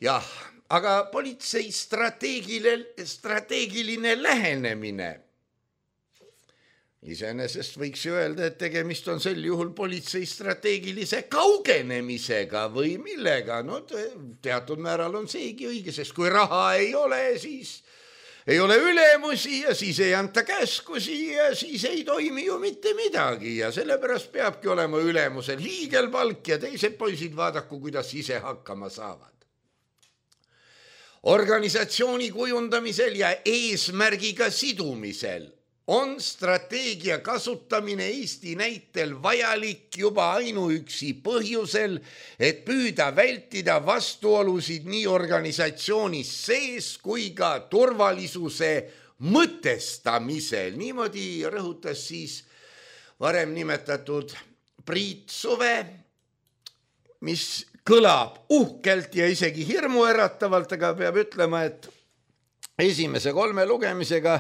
Jah, aga politsei strateegiline lähenemine. Iseenesest võiks ju öelda, et tegemist on sel juhul politsei strateegilise kaugenemisega või millega. No teatud määral on seegi õige, sest kui raha ei ole, siis ei ole ülemusi ja siis ei anta käskusi ja siis ei toimi ju mitte midagi ja sellepärast peabki olema ülemusel hiigelpalk ja teised poisid vaadaku, kuidas ise hakkama saavad. Organisatsiooni kujundamisel ja eesmärgiga sidumisel on strateegia kasutamine Eesti näitel vajalik juba ainuüksi põhjusel, et püüda vältida vastuolusid nii organisatsioonis sees kui ka turvalisuse mõtestamisel. Niimoodi rõhutas siis varem nimetatud Priit Suve, mis kõlab uhkelt ja isegi hirmuäratavalt, aga peab ütlema, et esimese 3 lugemisega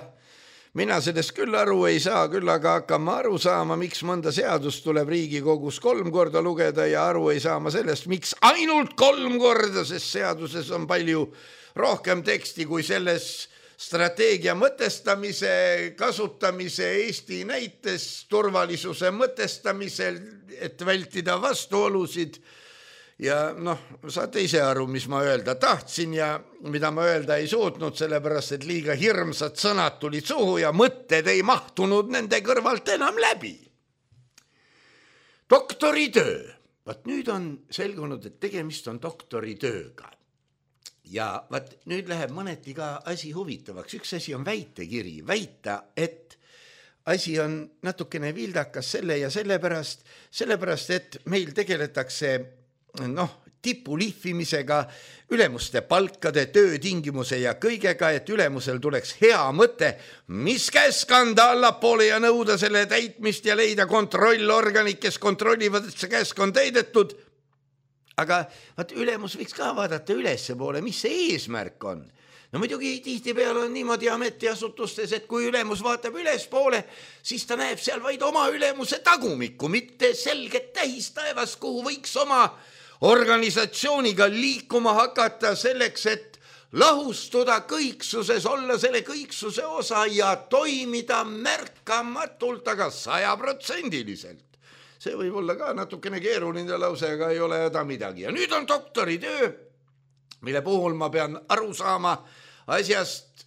mina sellest küll aru ei saa, küll aga hakkama aru saama, miks mõnda seadust tuleb Riigikogus 3 korda lugeda ja aru ei saa ma sellest, miks ainult 3 korda, sest seaduses on palju rohkem teksti kui selles strateegia mõtestamise, kasutamise Eesti näites, turvalisuse mõtestamisel, et vältida vastuolusid. Ja saate ise aru, mis ma öelda tahtsin ja mida ma öelda ei suutnud, sellepärast, et liiga hirmsad sõnad tulid suhu ja mõtted ei mahtunud nende kõrvalt enam läbi. Doktoritöö. Vaat nüüd on selgunud, et tegemist on doktoritööga. Ja vaat nüüd läheb mõneti ka asi huvitavaks. Üks asi on väitekiri. Väita, et asi on natukene vildakas selle ja sellepärast, et meil tegeletakse tipu lihvimisega, ülemuste palkade, töötingimuse ja kõigega, et ülemusel tuleks hea mõte, mis käsk anda allapoole ja nõuda selle täitmist ja leida kontrollorganid, kes kontrollivad, et see käsk on täidetud. Aga ülemus võiks ka vaadata ülesse poole, mis see eesmärk on. No muidugi tihtipeale on niimoodi ametiasutustes, et kui ülemus vaatab ülespoole, siis ta näeb seal vaid oma ülemuse tagumikku, mitte selget tähis taevas, kuhu võiks oma organisatsiooniga liikuma hakata selleks, et lahustuda kõiksuses, olla selle kõiksuse osa ja toimida märkamatult, aga 100%. See võib olla ka natukene keeruline lause, aga ei ole häda midagi. Ja nüüd on doktoritöö, mille puhul ma pean aru saama asjast,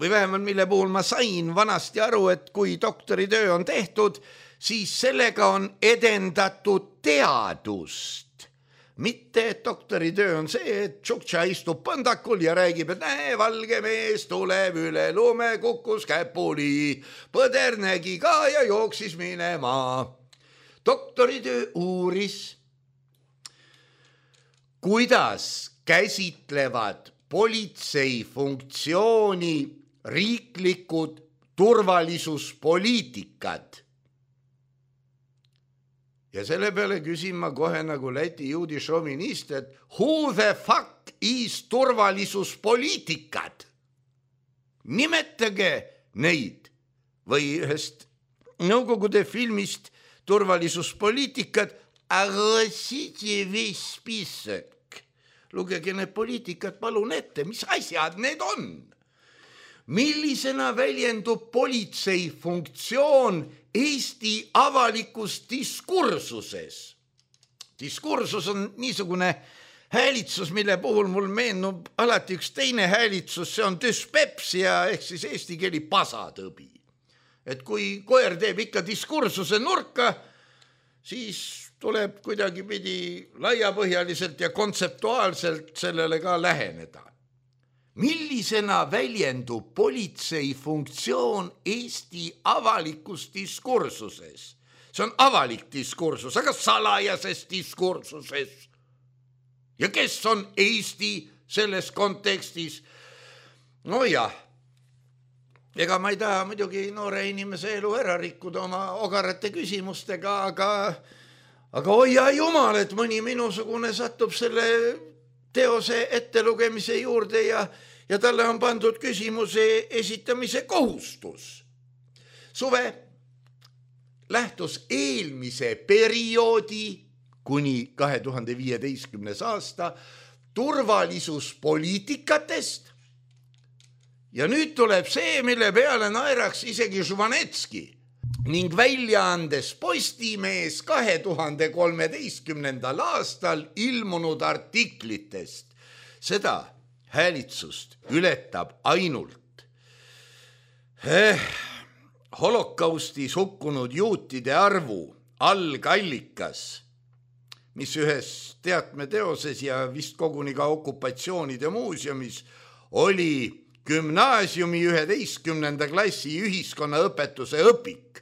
või vähemalt mille puhul ma sain vanasti aru, et kui doktoritöö on tehtud, siis sellega on edendatud teadust. Mitte, et doktoritöö on see, et Tšuktša istub pandakul ja räägib, et näe, valge mees tuleb üle lume, kukkus käpuli, põder nägi ka ja jooksis minema. Doktoritöö uuris, kuidas käsitlevad politsei funktsiooni riiklikud turvalisuspoliitikad. Ja selle peale küsin ma kohe nagu Läti juudi šovinist, et who the fuck is turvalisuspoliitikad? Nimetage neid või ühest Nõukogude filmist turvalisuspoliitikad, agasite viis spissek. Lugege need poliitikad palun ette, mis asjad need on? Millisena väljendub politsei funktsioon Eesti avalikus diskursuses? Diskursus on niisugune häälitsus, mille puhul mul meenub alati üks teine häälitsus, see on düspepsia ehk siis eesti keeli pasatõbi. Et kui koer teeb ikka diskursuse nurka, siis tuleb kuidagi pidi laiapõhjaliselt ja kontseptuaalselt sellele ka läheneda. Millisena väljendub politsei funktsioon Eesti avalikus diskursuses? See on avalik diskursus, aga salajases diskursuses. Ja kes on Eesti selles kontekstis? No jah, ega ma ei taha muidugi noore inimese elu ära rikkuda oma ogarate küsimustega, aga hoia jumal, et mõni minusugune satub selle teose ettelugemise juurde ja talle on pandud küsimuse esitamise kohustus. Suve lähtus eelmise perioodi kuni 2015. aasta turvalisuspoliitikatest ja nüüd tuleb see, mille peale naeraks isegi Žvanetski ning väljaandes Postimees 2013. aastal ilmunud artiklitest. Seda häälitsust ületab ainult holokaustis hukkunud juutide arvu algallikas, mis ühes teatmeteoses ja vist koguni ka okupatsioonide muuseumis oli gümnaasiumi 11. klassi ühiskonnaõpetuse õpik,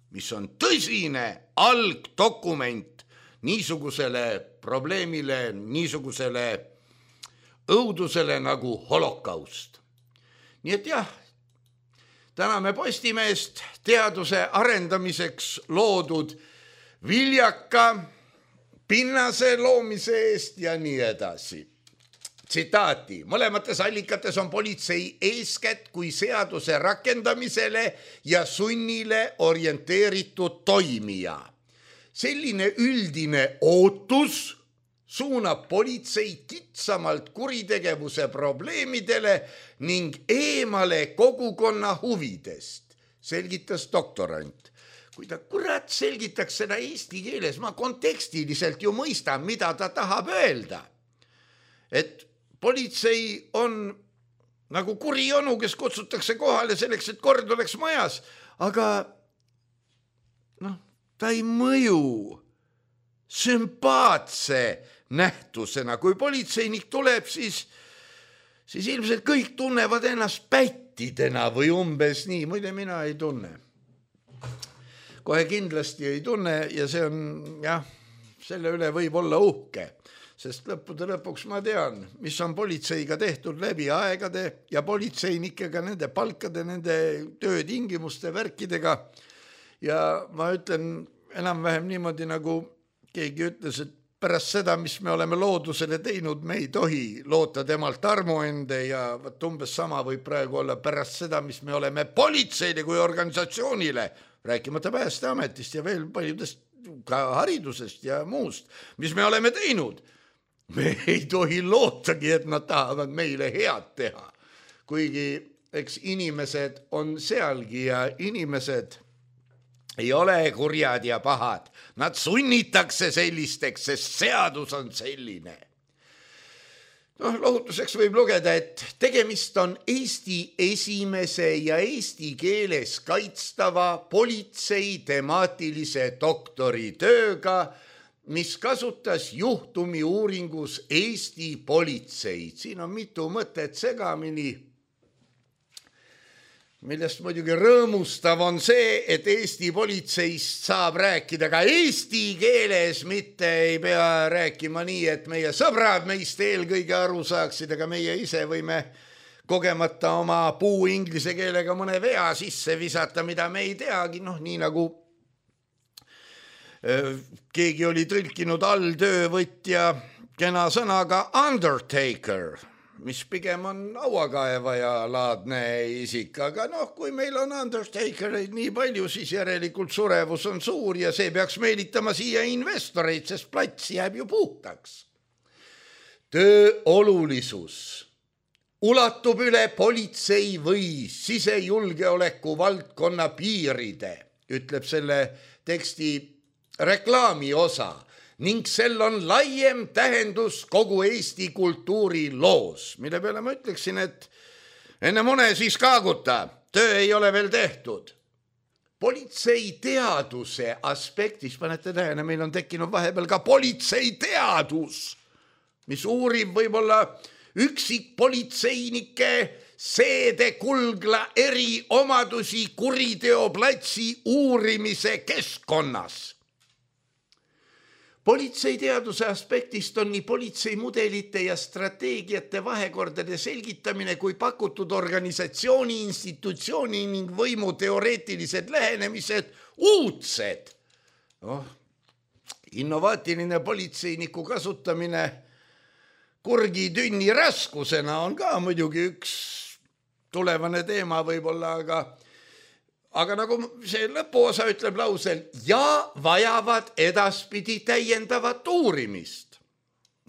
mis on tõsine algdokument niisugusele probleemile, niisugusele õudusele nagu holokaust. Nii et jah, täname Postimeest teaduse arendamiseks loodud viljaka pinnase loomise eest ja nii edasi. Tsitaati, mõlemates allikates on politsei eeskätt kui seaduse rakendamisele ja sunnile orienteeritud toimija. Selline üldine ootus suunab politsei kitsamalt kuritegevuse probleemidele ning eemale kogukonna huvidest, selgitas doktorant. Kui ta kurat selgitaks seda eesti keeles, ma kontekstiliselt ju mõistan, mida ta tahab öelda. Et politsei on nagu kuri onu, kes kutsutakse kohale selleks, et kord oleks majas, aga ta ei mõju sümpaatse nähtusena. Kui politseinik tuleb, siis ilmselt kõik tunnevad ennast pättidena või umbes nii, muide mina ei tunne. Kohe kindlasti ei tunne ja see on, selle üle võib olla uhke. Sest lõppude lõpuks ma tean, mis on politseiga tehtud läbi aegade ja politseinikega, nende palkade, nende töötingimuste värkidega. Ja ma ütlen enam-vähem niimoodi, nagu keegi ütles, et pärast seda, mis me oleme loodusele teinud, me ei tohi loota temalt armuende ja umbes sama võib praegu olla pärast seda, mis me oleme politseile kui organisatsioonile, rääkimata Päästeametist ja veel paljudest ka haridusest ja muust, mis me oleme teinud. Me ei tohi lootagi, et nad tahavad meile head teha. Kuigi eks inimesed on sealgi ja inimesed ei ole kurjad ja pahad. Nad sunnitakse sellisteks, sest seadus on selline. Lohutuseks võib lugeda, et tegemist on Eesti esimese ja eesti keeles kaitstava politsei temaatilise doktoritööga, mis kasutas juhtumi uuringus Eesti politseid. Siin on mitu mõtet segamini, millest muidugi rõõmustav on see, et Eesti politseist saab rääkida ka eesti keeles, mitte ei pea rääkima nii, et meie sõbrad meist eelkõige aru saaksid, aga meie ise võime kogemata oma puu inglise keelega mõne vea sisse visata, mida me ei teagi, nii nagu keegi oli tõlkinud alltöövõtja kena sõnaga undertaker, mis pigem on hauakaevaja laadne isik, aga kui meil on undertakereid nii palju, siis järelikult surevus on suur ja see peaks meelitama siia investoreid, sest plats jääb ju puhtaks. Töö olulisus ulatub üle politsei või sisejulgeoleku valdkonna piiride, ütleb selle teksti reklaami osa ning sel on laiem tähendus kogu Eesti kultuuri loos, mille peale ma ütleksin, et enne mune siis kaaguta, töö ei ole veel tehtud. Politsei teaduse aspektis, panete tähele, meil on tekkinud vahepeal ka politsei teadus, mis uurib võib-olla üksikpolitseinike seedekulgla eriomadusi kuriteoplatsi uurimise keskkonnas. Politseiteaduse aspektist on nii politseimudelite ja strateegiate vahekordade selgitamine kui pakutud organisatsiooni, institutsiooni ning võimu teoreetilised lähenemised uudsed. Innovaatiline politseiniku kasutamine kurgitünni raskusena on ka muidugi üks tulevane teema võib-olla, aga nagu see lõpuosa ütleb lausel ja vajavad edaspidi täiendavat uurimist.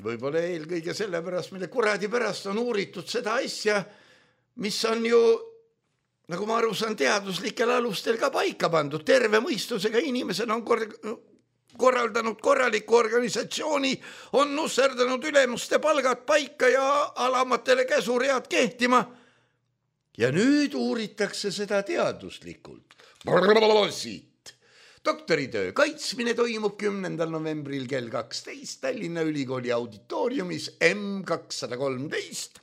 Võib-olla eelkõige sellepärast, mille kuradi pärast on uuritud seda asja, mis on ju, nagu ma aru saan, teaduslikel alustel ka paika pandud. Terve mõistusega inimesed on korraldanud korraliku organisatsiooni, on nusserdanud ülemuste palgad paika ja alamatele käsuread kehtima. Ja nüüd uuritakse seda teaduslikult. Siit. Doktoritöö kaitsmine toimub 10. novembril kell 12 Tallinna Ülikooli auditooriumis M213,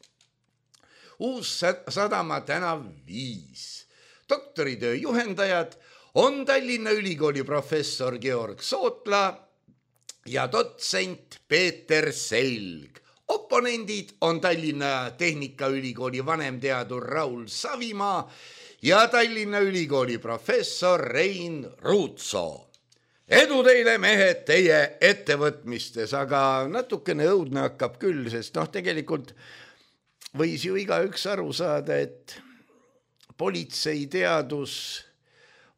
Uus-Sadama tänav 5. Doktoritöö juhendajad on Tallinna Ülikooli professor Georg Sootla ja dotsent Peeter Selg. Oponendid on Tallinna Tehnikaülikooli vanemteadur Raul Savimaa ja Tallinna Ülikooli professor Rein Ruutsoo. Edu teile, mehed, teie ettevõtmistes, aga natukene õudne hakkab küll, sest tegelikult võis ju igaüks aru saada, et politseiteadus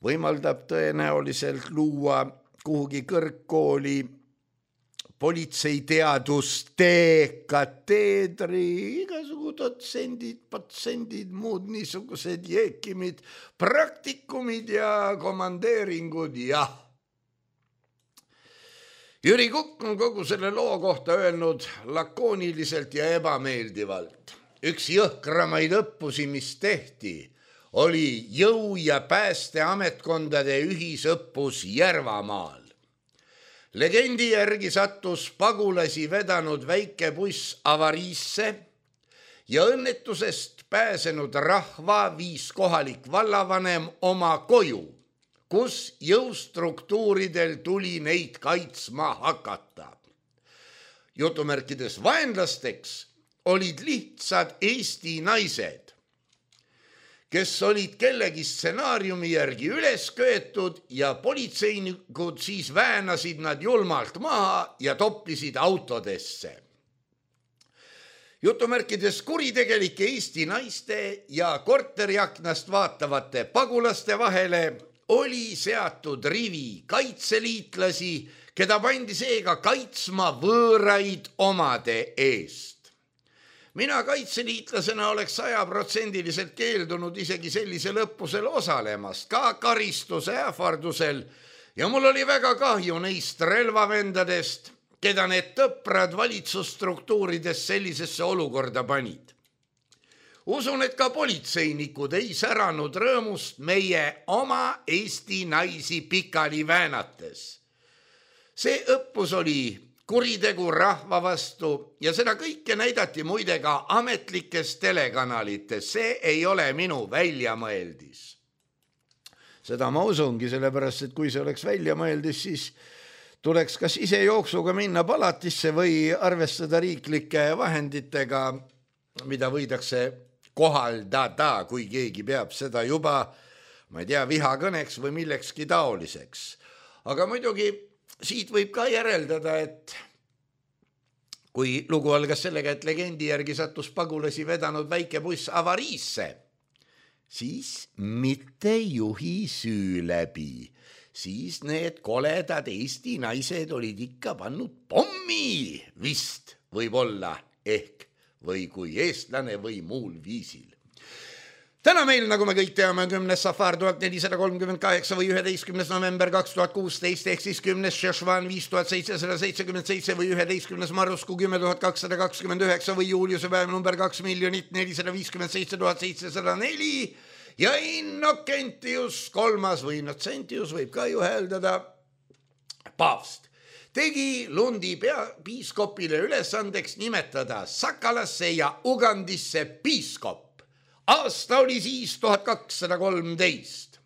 võimaldab tõenäoliselt luua kuhugi kõrgkooli politseiteaduste kateedri, igasugu dotsendid, muud niisugused jeekimid, praktikumid ja komandeeringud, jah. Jüri Kukk on kogu selle loo kohta öelnud lakooniliselt ja ebameeldivalt. Üks jõhkramaid õppusi, mis tehti, oli jõu- ja päästeametkondade ühisõppus Järvamaal. Legendi järgi sattus pagulasi vedanud väike buss avariisse ja õnnetusest pääsenud rahva viis kohalik vallavanem oma koju, kus jõustruktuuridel tuli neid kaitsma hakata. Jutumärkides vaenlasteks olid lihtsad Eesti naised, kes olid kellegi stsenaariumi järgi üles köetud ja politseinikud siis väänasid nad julmalt maha ja toppisid autodesse. Jutumärkides kuritegelike Eesti naiste ja korteriaknast vaatavate pagulaste vahele oli seatud rivi kaitseliitlasi, keda pandi seega kaitsma võõraid omade eest. Mina kaitseliitlasena oleks 100% keeldunud isegi sellisel õppusel osalemast, ka karistuse ähvardusel, ja mul oli väga kahju neist relvavendadest, keda need tõprad valitsusstruktuurides sellisesse olukorda panid. Usun, et ka politseinikud ei säranud rõõmust meie oma Eesti naisi pikali väänates. See õppus oli kuritegu rahva vastu ja seda kõike näidati muide ka ametlikes telekanalites. See ei ole minu väljamõeldis. Seda ma usungi, sellepärast, et kui see oleks väljamõeldis, siis tuleks kas ise jooksuga minna palatisse või arvestada riiklike vahenditega, mida võidakse kohaldada, kui keegi peab seda juba, ma ei tea, vihakõneks või millekski taoliseks. Aga muidugi siit võib ka järeldada, et kui lugu algas sellega, et legendi järgi sattus pagulasi vedanud väike buss avariisse, siis mitte juhi süü läbi, siis need koledad Eesti naised olid ikka pannud pommi vist võib-olla ehk või kui eestlane või muul viisil. Täna meil, nagu me kõik teame, 10. Safar 1438 või 11. november 2016 ehk siis 10. Šešvan 5777 või 11. Marusku 10229 või Juliuse päev number 2 457 704 ja Innocentius kolmas või Innocentius võib ka ju hääldada paavst. Tegi Lundi piiskopile ülesandeks nimetada Sakalasse ja Ugandisse piiskop. Aasta oli siis 1213.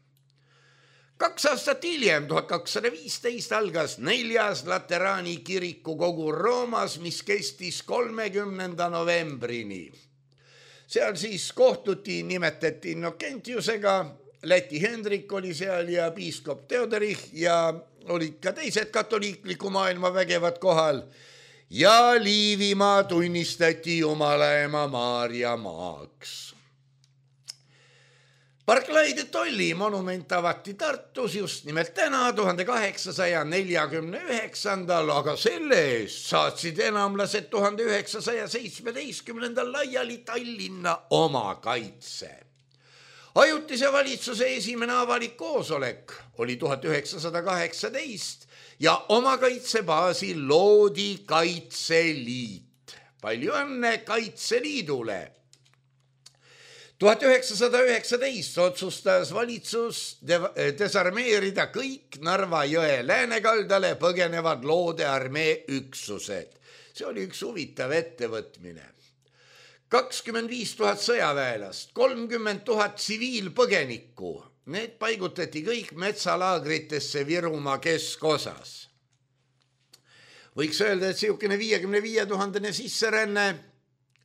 2 aastat hiljem, 1215, algas 4. Lateraani kiriku kogu Roomas, mis kestis 30. novembrini. Seal siis kohtuti, nimetati Innocentiusega, Läti Hendrik oli seal ja piiskop Theodorich ja olid ka teised katoliikliku maailma vägevad kohal ja Liivimaa tunnistati Jumalaema Maarja maaks. Barclay de Tolly monument avati Tartus just nimelt täna 1849, aga selle eest saatsid enamlased 1917 laiali Tallinna oma kaitse. Ajutise valitsuse esimene avalik koosolek oli 1918 ja oma kaitsebaasil loodi Kaitseliit. Palju õnne Kaitseliidule! 1919 otsustas valitsus desarmeerida kõik Narva jõe läänekaldale põgenevad Loode armee üksused. See oli üks huvitav ettevõtmine. 25 000 sõjaväelast, 30 000 tsiviilpõgenikku. Need paigutati kõik metsalaagritesse Virumaa keskosas. Võiks öelda, et siukene 55 000 sisseränne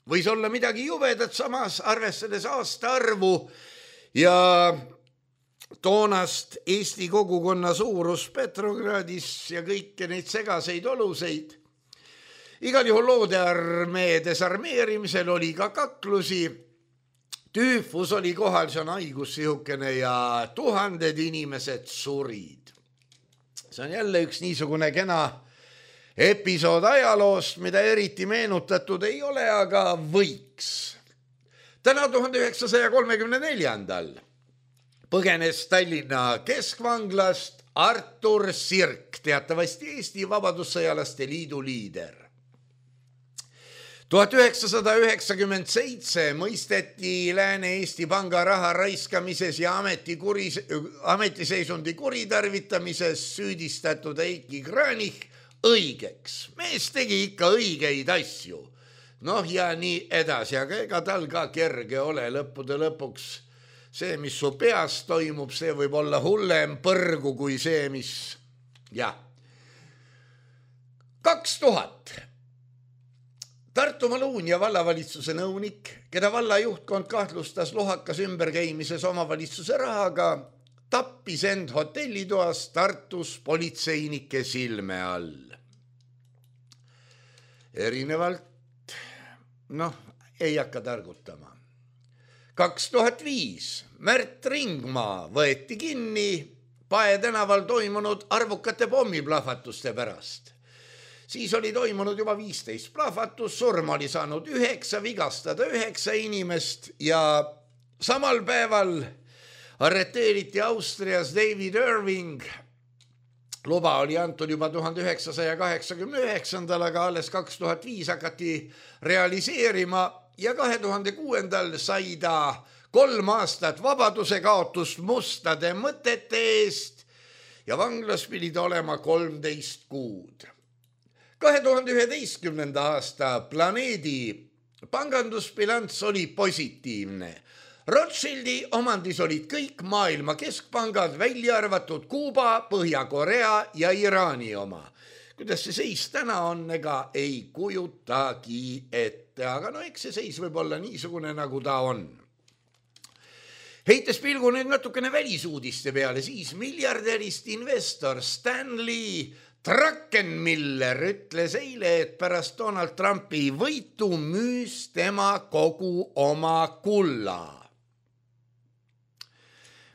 võis olla midagi jubedat, samas arvestades aasta arvu ja toonast Eesti kogukonna suurus Petrogradis ja kõiki neid segaseid oluseid. Igal juhul Loode armee desarmeerimisel oli ka kaklusi. Tüüfus oli kohal, see on haigus sihukene ja 1000 inimesed surid. See on jälle üks niisugune kena episood ajaloost, mida eriti meenutatud ei ole, aga võiks. Täna 1934. põgenes Tallinna keskvanglast Artur Sirk, teatavasti Eesti Vabadussõjalaste Liidu liider. 1997 mõisteti Lääne-Eesti Panga raha raiskamises ja ametiseisundi kuritarvitamises süüdistatud Eiki Kranich õigeks. Mees tegi ikka õigeid asju. Noh ja nii edasi, aga ega tal ka kerge ole lõppude lõpuks. See, mis su peas toimub, see võib olla hullem põrgu kui see, mis... Ja. 2000. Tartumaa Luunja vallavalitsuse nõunik, keda valla juhtkond kahtlustas lohakas ümberkäimises omavalitsuse rahaga, tappis end hotellitoas Tartus politseinike silme all. Erinevalt, ei hakka targutama. 2005 Märt Ringmaa võeti kinni Pae tänaval toimunud arvukate pommiplahvatuste pärast. Siis oli toimunud juba 15 plahvatus, surma oli saanud 9, vigastada 9 inimest ja samal päeval arreteeriti Austrias David Irving. Luba oli antud juba 1989, aga alles 2005 hakati realiseerima ja 2006 sai ta 3 aastat vabaduse kaotust mustade mõtete eest ja vanglas pidid olema 13 kuud. 2011. aasta Planeedi pangandusbilanss oli positiivne. Rothschildi omandis olid kõik maailma keskpangad, välja arvatud Kuuba, Põhja-Korea ja Iraani oma. Kuidas see seis täna on, ega ei kujutagi ette, aga no eks see seis võib olla niisugune, nagu ta on. Heites pilgu nüüd natukene välisuudiste peale, siis miljardärist investor Stanley Druckenmiller ütles eile, et pärast Donald Trumpi võitu müüs tema kogu oma kulla.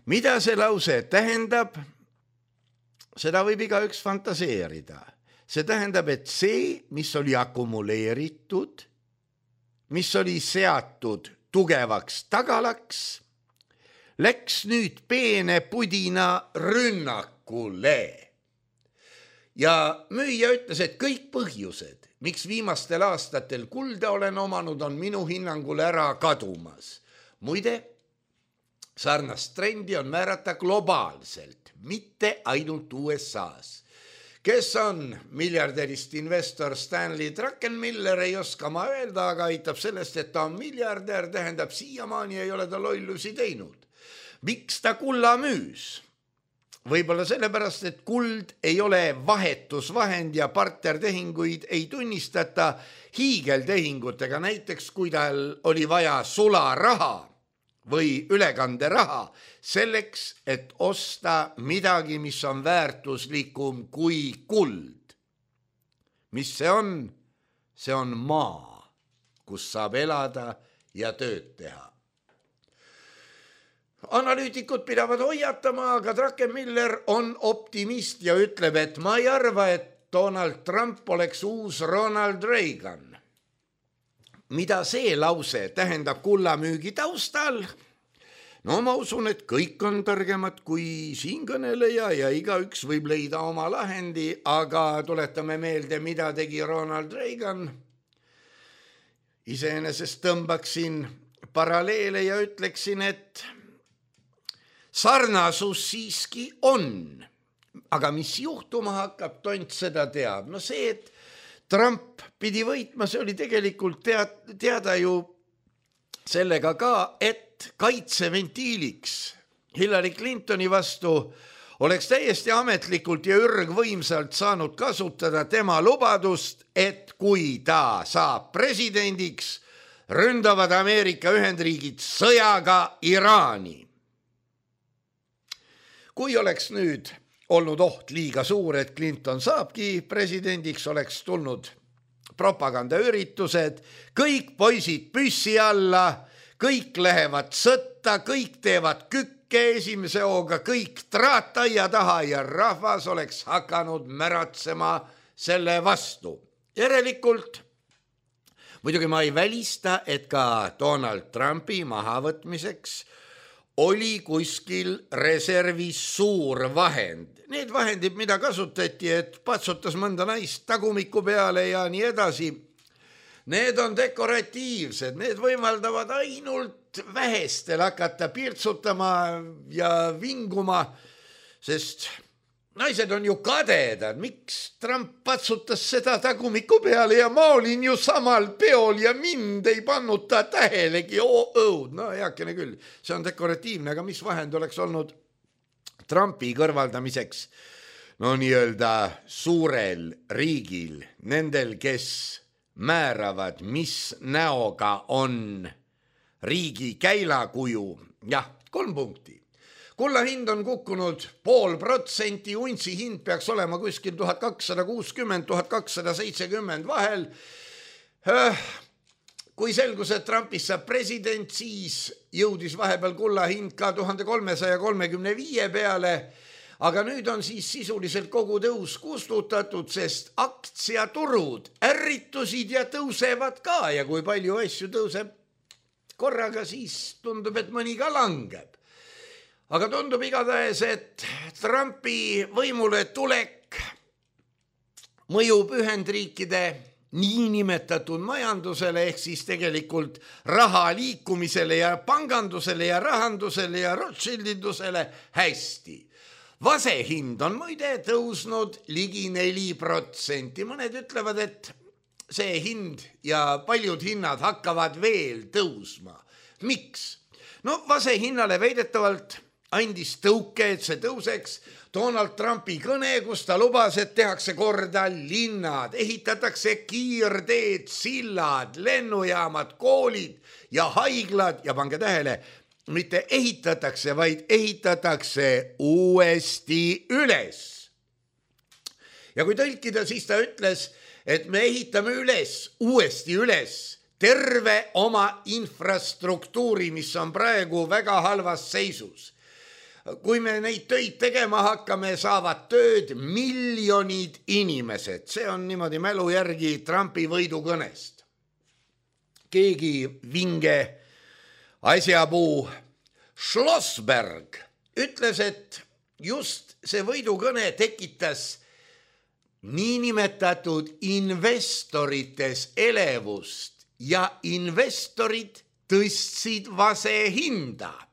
Mida see lause tähendab? Seda võib igaüks fantaseerida. See tähendab, et see, mis oli akumuleeritud, mis oli seatud tugevaks tagalaks, läks nüüd peene pudina rünnakule. Ja müüja ütles, et kõik põhjused, miks viimastel aastatel kulda olen omanud, on minu hinnangul ära kadumas. Muide, sarnast trendi on määrata globaalselt, mitte ainult USA's. Kes on miljardärist investor Stanley Druckenmiller, ei oska ma öelda, aga aitab sellest, et ta on miljardär, tähendab siiamaani ei ole ta lollusi teinud. Miks ta kulla müüs? Võib-olla sellepärast, et kuld ei ole vahetusvahend ja partnertehinguid ei tunnistata hiigeltehingutega. Näiteks, kui tal oli vaja sularaha või ülekanderaha selleks, et osta midagi, mis on väärtuslikum kui kuld. Mis see on? See on maa, kus saab elada ja tööd teha. Analüütikud pidavad hoiatama, aga Druckenmiller on optimist ja ütleb, et ma ei arva, et Donald Trump oleks uus Ronald Reagan. Mida see lause tähendab kullamüügi taustal? No ma usun, et kõik on targemad kui siinkõneleja ja igaüks võib leida oma lahendi, aga tuletame meelde, mida tegi Ronald Reagan. Iseenesest tõmbaksin paralleele ja ütleksin, et sarnasus siiski on, aga mis juhtuma hakkab, tont seda teab. No see, et Trump pidi võitma, see oli tegelikult teada ju sellega ka, et kaitseventiiliks Hillary Clintoni vastu oleks täiesti ametlikult ja ürgvõimsalt saanud kasutada tema lubadust, et kui ta saab presidendiks, ründavad Ameerika Ühendriigid sõjaga Iraani. Kui oleks nüüd olnud oht liiga suur, et Clinton saabki presidendiks, oleks tulnud propagandaüritused, kõik poisid püssi alla, kõik lähevad sõtta, kõik teevad kükke esimese hooga, kõik traataia taha ja rahvas oleks hakanud märatsema selle vastu. Järelikult, muidugi ma ei välista, et ka Donald Trumpi mahavõtmiseks oli kuskil reservis suur vahend. Need vahendid, mida kasutati, et patsutas mõnda naist tagumiku peale ja nii edasi, need on dekoratiivsed, need võimaldavad ainult vähestel hakata pirtsutama ja vinguma, sest naised on ju kadedad, miks Trump patsutas seda tagumiku peale ja ma olin ju samal peol ja mind ei pannud ta tähelegi, no heakene küll, see on dekoratiivne, aga mis vahend oleks olnud Trumpi kõrvaldamiseks? No nii-öelda suurel riigil, nendel, kes määravad, mis näoga on riigi käilakuju, jah, 3 punkti. Kulla hind on kukkunud 0,5%, untsi hind peaks olema kuskil 1260–1270 vahel. Kui selgus, et Trumpist saab president, siis jõudis vahepeal kulla hind ka 1335 peale, aga nüüd on siis sisuliselt kogu tõus kustutatud, sest aktsiaturud ärritusid ja tõusevad ka ja kui palju asju tõuseb korraga, siis tundub, et mõni ka langeb. Aga tundub igatahes, et Trumpi võimule tulek mõjub Ühendriikide niinimetatud majandusele ehk siis tegelikult raha liikumisele ja pangandusele ja rahandusele ja Rothschildidusele hästi. Vase hind on muide tõusnud ligi 4%. Mõned ütlevad, et see hind ja paljud hinnad hakkavad veel tõusma. Miks? No vase hinnale väidetavalt andis tõuke, et see tõuseks Donald Trumpi kõne, kus ta lubas, et tehakse korda linnad, ehitatakse kiirteed, sillad, lennujaamad, koolid ja haiglad ja pange tähele, mitte ehitatakse, vaid ehitatakse uuesti üles. Ja kui tõlkida, siis ta ütles, et me ehitame uuesti üles terve oma infrastruktuuri, mis on praegu väga halvas seisus. Kui me neid töid tegema hakkame, saavad tööd miljonid inimesed. See on niimoodi mälu järgi Trumpi võidukõnest. Keegi vinge asjapuu Schlossberg ütles, et just see võidukõne tekitas niinimetatud investorites elevust ja investorid tõstsid vase hinda.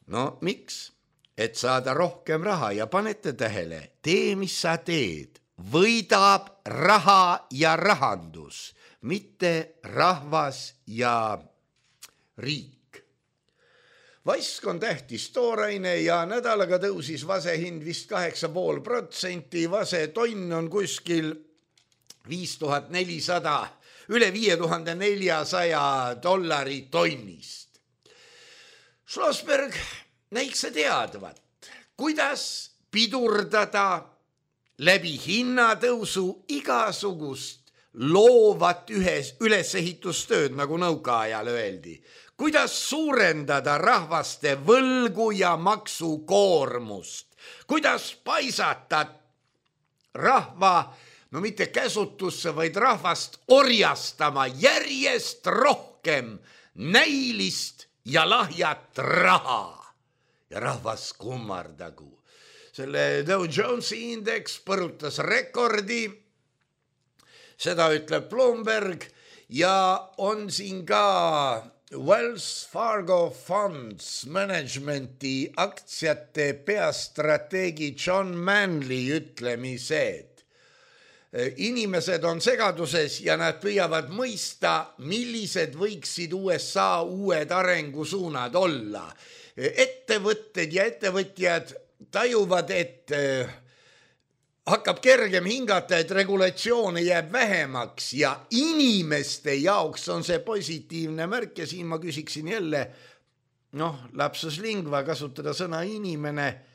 No miks? Et saada rohkem raha ja panete tähele, tee mis sa teed, võidab raha ja rahandus, mitte rahvas ja riik. Vask on tähtis tooraine ja nädalaga tõusis vase hind vist 8,5%, vase tonn on kuskil 5400, üle $5400 tonnist. Schlossberg näiks teadvat, kuidas pidurdada läbi hinnatõusu igasugust loovat ülesehitustööd, nagu nõukaajal öeldi. Kuidas suurendada rahvaste võlgu ja maksukoormust. Kuidas paisata rahva, no mitte käsutusse, vaid rahvast orjastama järjest rohkem näilist ja lahjat raha ja rahvas kummardagu. Selle Dow Jonesi indeks põrutas rekordi, seda ütleb Bloomberg ja on siin ka Wells Fargo Funds Managementi aktsiate peastrateegi John Manley ütlemised. Inimesed on segaduses ja nad püüavad mõista, millised võiksid USA uued arengusuunad olla. Ettevõtted ja ettevõtjad tajuvad, et hakkab kergem hingata, et regulatsioone jääb vähemaks ja inimeste jaoks on see positiivne märk ja siin ma küsiksin jälle, lapsus lingua, kasutada sõna inimene.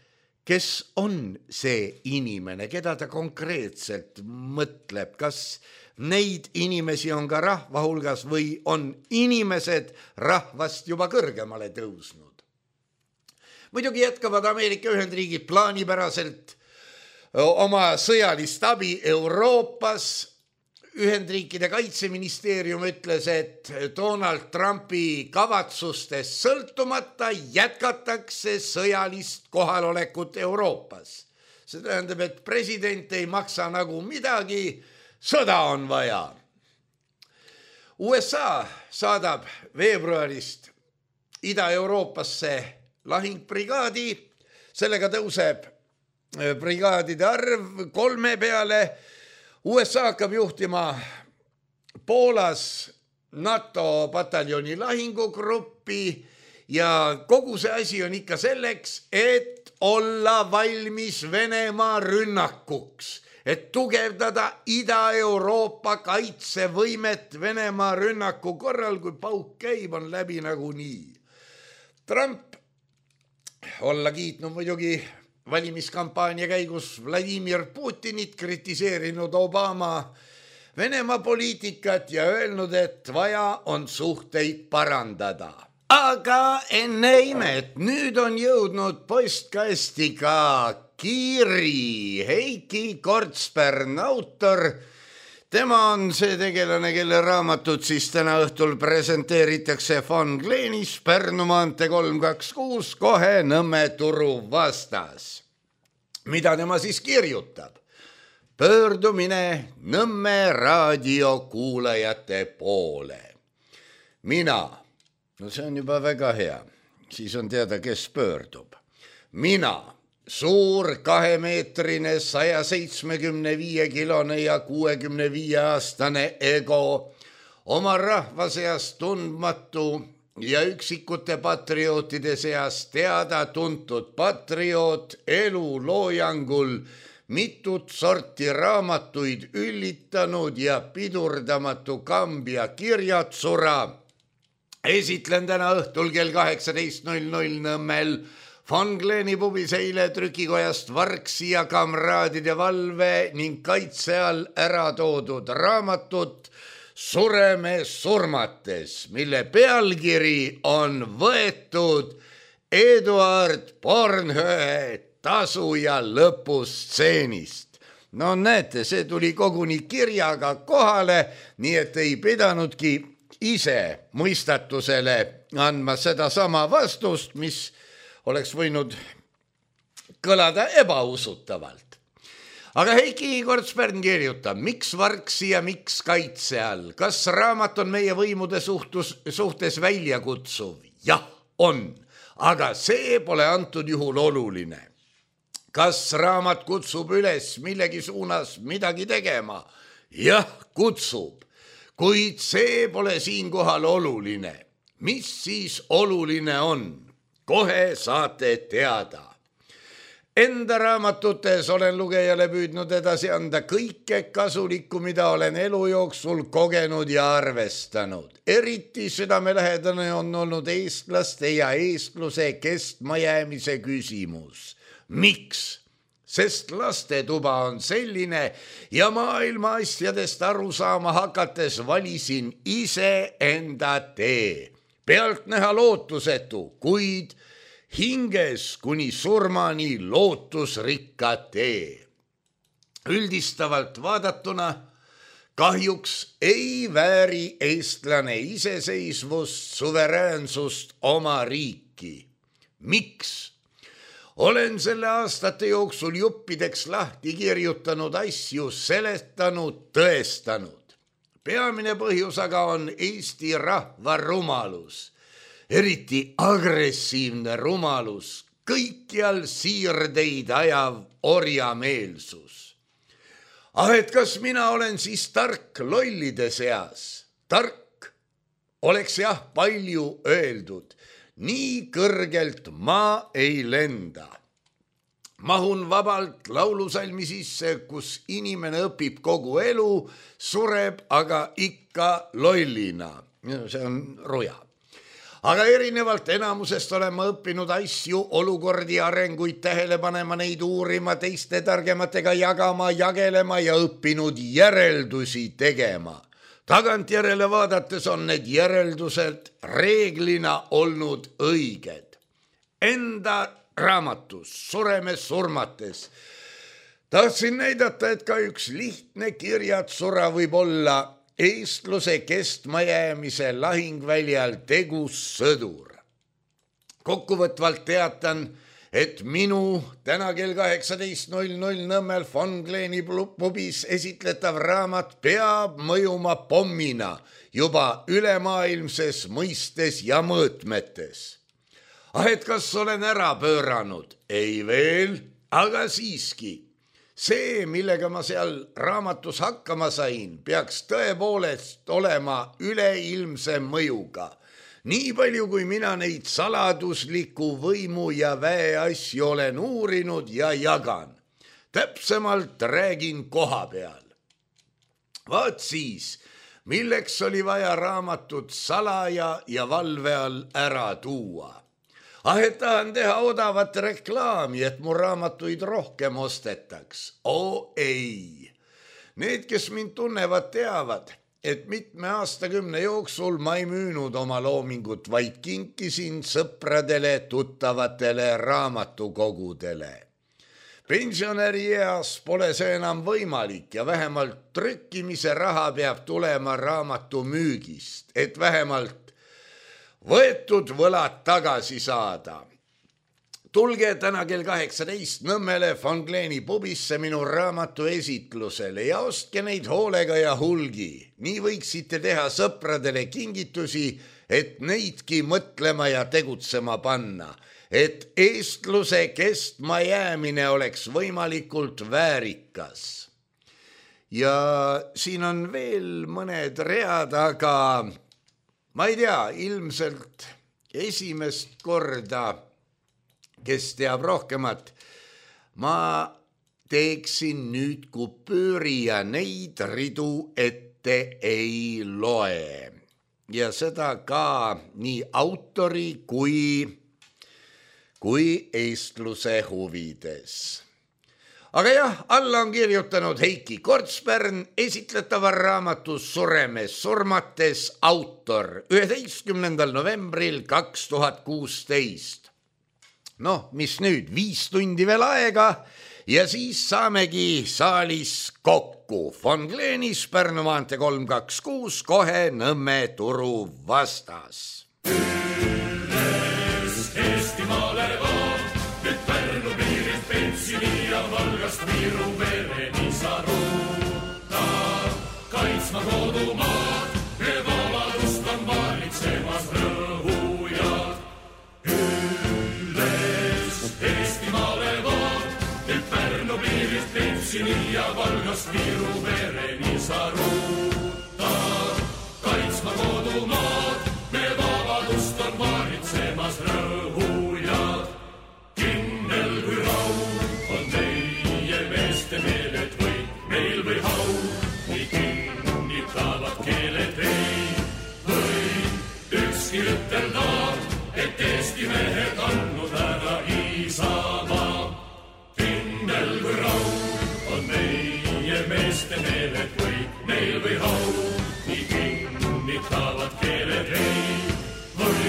Kes on see inimene, keda ta konkreetselt mõtleb? Kas neid inimesi on ka rahva hulgas või on inimesed rahvast juba kõrgemale tõusnud? Muidugi jätkavad Ameerika Ühendriigid plaanipäraselt oma sõjalist abi Euroopas. Ühendriikide kaitseministeerium ütles, et Donald Trumpi kavatsustest sõltumata jätkatakse sõjalist kohalolekut Euroopas. See tähendab, et president ei maksa nagu midagi, sõda on vaja. USA saadab veebruarist Ida-Euroopasse lahingbrigaadi, sellega tõuseb brigaadide arv 3 peale. USA hakkab juhtima Poolas NATO pataljoni lahingugruppi ja kogu see asi on ikka selleks, et olla valmis Venemaa rünnakuks, et tugevdada Ida-Euroopa kaitsevõimet Venemaa rünnaku korral, kui pauk käib, on läbi nagunii. Trump olla kiitnud muidugi valimiskampaania käigus Vladimir Putinit, kritiseerinud Obama Venemaa poliitikat ja öelnud, et vaja on suhteid parandada. Aga enne imet, nüüd on jõudnud postkasti ka kiri. Heiki Kortspärn, autor. Tema on see tegelane, kelle raamatut siis täna õhtul presenteeritakse Von Gleenis, Pärnu maantee 326, kohe Nõmme turu vastas. Mida tema siis kirjutab? Pöördumine Nõmme raadiokuulajate poole. Mina, no see on juba väga hea, siis on teada, kes pöördub. mina, suur 2-meetrine 175-kilone ja 65-aastane ego, oma rahva seas tundmatu ja üksikute patriootide seas teada-tuntud patrioot, elu loojangul mitut sorti raamatuid üllitanud ja pidurdamatu Kambja kirjatsura. Esitlen täna õhtul kell 18.00 Nõmmel Von Kleeni pubis eile trükikojast Varksi ja kamraadide valve ning kaitse all ära toodud raamatut Sureme surmates, mille pealkiri on võetud Eduard Bornhöhe tasuja lõpustseenist. No näete, see tuli koguni kirjaga kohale, nii et ei pidanudki ise mõistatusele andma seda sama vastust, mis oleks võinud kõlada ebausutavalt. Aga Heiki Kortspärn kirjutab, miks Varksi ja miks kaitse all? Kas raamat on meie võimude suhtes väljakutsuv? Jah, on, aga see pole antud juhul oluline. Kas raamat kutsub üles millegi suunas midagi tegema? Jah, kutsub, kuid see pole siinkohal oluline. Mis siis oluline on? Kohe saate teada. Enda raamatutes olen lugejale püüdnud edasi anda kõike kasulikku, mida olen elu jooksul kogenud ja arvestanud. Eriti südamelähedane on olnud eestlaste ja eestluse kestmajäämise küsimus. Miks? Sest lastetuba on selline ja maailma asjadest aru saama hakates valisin ise enda tee. Pealtnäha lootusetu, kuid hinges kuni surmani lootusrikka tee. Üldistavalt vaadatuna kahjuks ei vääri eestlane iseseisvust, suveräänsust oma riiki. Miks? Olen selle aastate jooksul juppideks lahti kirjutanud asju, seletanud, tõestanud. Peamine põhjus aga on Eesti rahva rumalus. Eriti agressiivne rumalus, kõikjal siirdeid ajav orjameelsus. Et kas mina olen siis tark lollide seas? Tark oleks jah palju öeldud, nii kõrgelt ma ei lenda. Mahun vabalt laulusalmi sisse, kus inimene õpib kogu elu, sureb aga ikka lollina. See on ruja. Aga erinevalt enamusest olen ma õppinud asju, olukordi, arenguid tähele panema, neid uurima, teiste targematega jagama, jagelema ja õppinud järeldusi tegema. Tagantjärele vaadates on need järeldused reeglina olnud õiged. Enda raamatus Sureme surmates tahtsin näidata, et ka üks lihtne kirjatsura võib olla eestluse kestmajäämise lahingväljal tegus sõdur. Kokkuvõtvalt teatan, et minu täna kell 18.00 Nõmmel Von Kleeni pubis esitletav raamat peab mõjuma pommina juba ülemaailmses mõistes ja mõõtmetes. Et kas olen ära pööranud? Ei veel, aga siiski. See, millega ma seal raamatus hakkama sain, peaks tõepoolest olema üleilmse mõjuga. Nii palju, kui mina neid saladusliku võimu ja väe asju olen uurinud ja jagan. Täpsemalt räägin koha peal. Vaat siis, milleks oli vaja raamatut salaja ja valve all ära tuua. Et tahan teha odavat reklaami, et mu raamatuid rohkem ostetaks. Ei. Need, kes mind tunnevad, teavad, et mitme aastakümne jooksul ma ei müünud oma loomingut, vaid kinkisin sõpradele, tuttavatele, raamatukogudele. Pensionärieas pole see enam võimalik ja vähemalt trükkimise raha peab tulema raamatu müügist, et vähemalt võetud võlad tagasi saada. Tulge täna kell 18 Nõmmele Von Kleeni pubisse minu raamatu esitlusele ja ostke neid hoolega ja hulgi. Nii võiksite teha sõpradele kingitusi, et neidki mõtlema ja tegutsema panna, et eestluse kestma jäämine oleks võimalikult väärikas. Ja siin on veel mõned read, aga ma ei tea, ilmselt esimest korda, kes teab rohkemat, ma teeksin nüüd kupüüri ja neid ridu ette ei loe. Ja seda ka nii autori kui eestluse huvides. Aga jah, alla on kirjutanud Heiki Kortspärn esitletava raamatus Sureme surmates autor 11. novembril 2016. Mis nüüd, 5 tundi veel aega ja siis saamegi saalis kokku. Von Gleenis, Pärnu maantee 326, kohe Nõmme turu vastas. Eestimaale vaan, nyt Pärnu piirit Pentsini ja Valgast Viru vereni saruta. Kaitsma kodumaad, me vabadust on valitsemas rõhujad. Ülles Eestimaale vaan, nyt Pärnu piirit Pentsini ja Valgast Viru vereni saruta. Kaitsma kodumaad, me vabadust on valitsemas rõhujad. Kindel kui raud on meie meeste meeled või meil või hau, nii kinnitavad keeled ei või ükski ütelda, et Eesti mehed andnud ära Isamaa. Kindel kui raud on meie meeste meeled või meil või hau, nii kinnitavad keeled ei või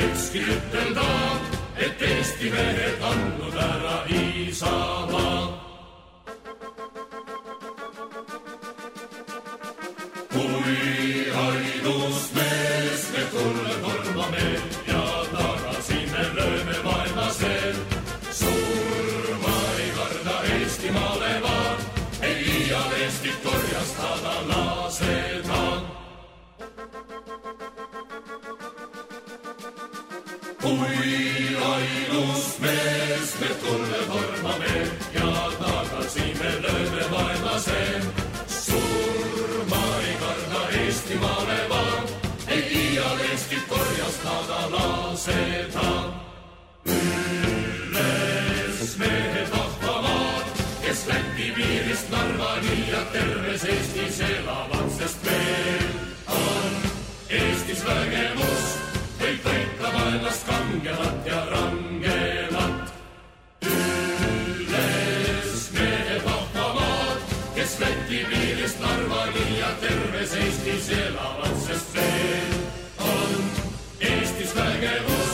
ükski ütelda, et Eesti mehed andnud ära Isamaa. Kui ainus mees me tulle tormame ja tagasi me lööme vaenlasel, surma ei karda Eestimaale vaan, ei iial Eestit korjastada lasetaan. Kui ainus mees me tulle tormame ja tagasi me lööme vaenlasel, surma ei karda Eestimaale vaan, ei iial Eestit korjastada lasetaan. Ülles mehed vahvamaad, kes Läti piirist Narvani ja terves Eestis elavad, sest meil on Eestis vägemus, võib võita vaenlast kangemat ja rangemat. Ülles mehed vahvamaad, kes Läti piirist Narvani ja terves Eestis elavad, sest meil on Eestis vägemus,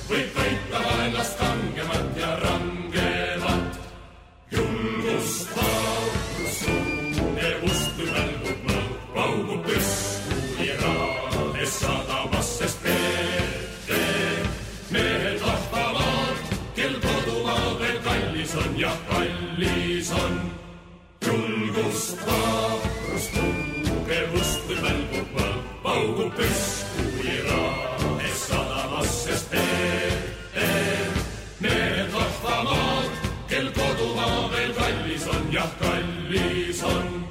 võib võita vaenlast kangemat ja rangemat. Julgust, vaurust, tugevust, kui välgub mõõg, paugub püsku ja raades sadamas, sest mehed vahvamaad, kel kodumaa veel kallis on ja kallis on. Julgust, vaurust, tugevust, kui välgub mõõg, paugub püsku ja raades sadamas, sest mehed vahvamaad, kel kodumaa veel kallis on ja kallis on.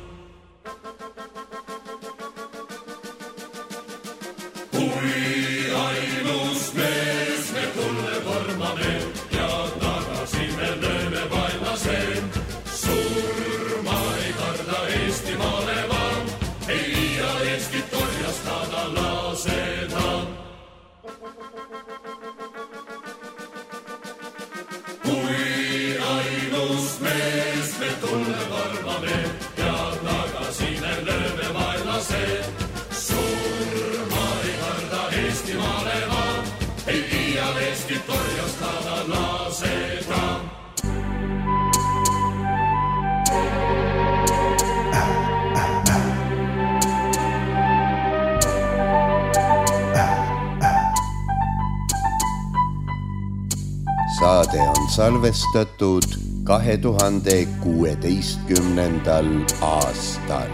Kui ainus mees me tulle tormame ja tagasi me lööme vaenlasel, surma ei karda Eestimaale vaan, ei iial Eestit korjastada lasetaan. Kui ainus mees me tulle tormame ja tagasi me lööme vaenlasel, surma ei karda Eestimaale vaan, ei iial Eestit korjastada lasetaan. Saade on salvestatud 2016. aastal.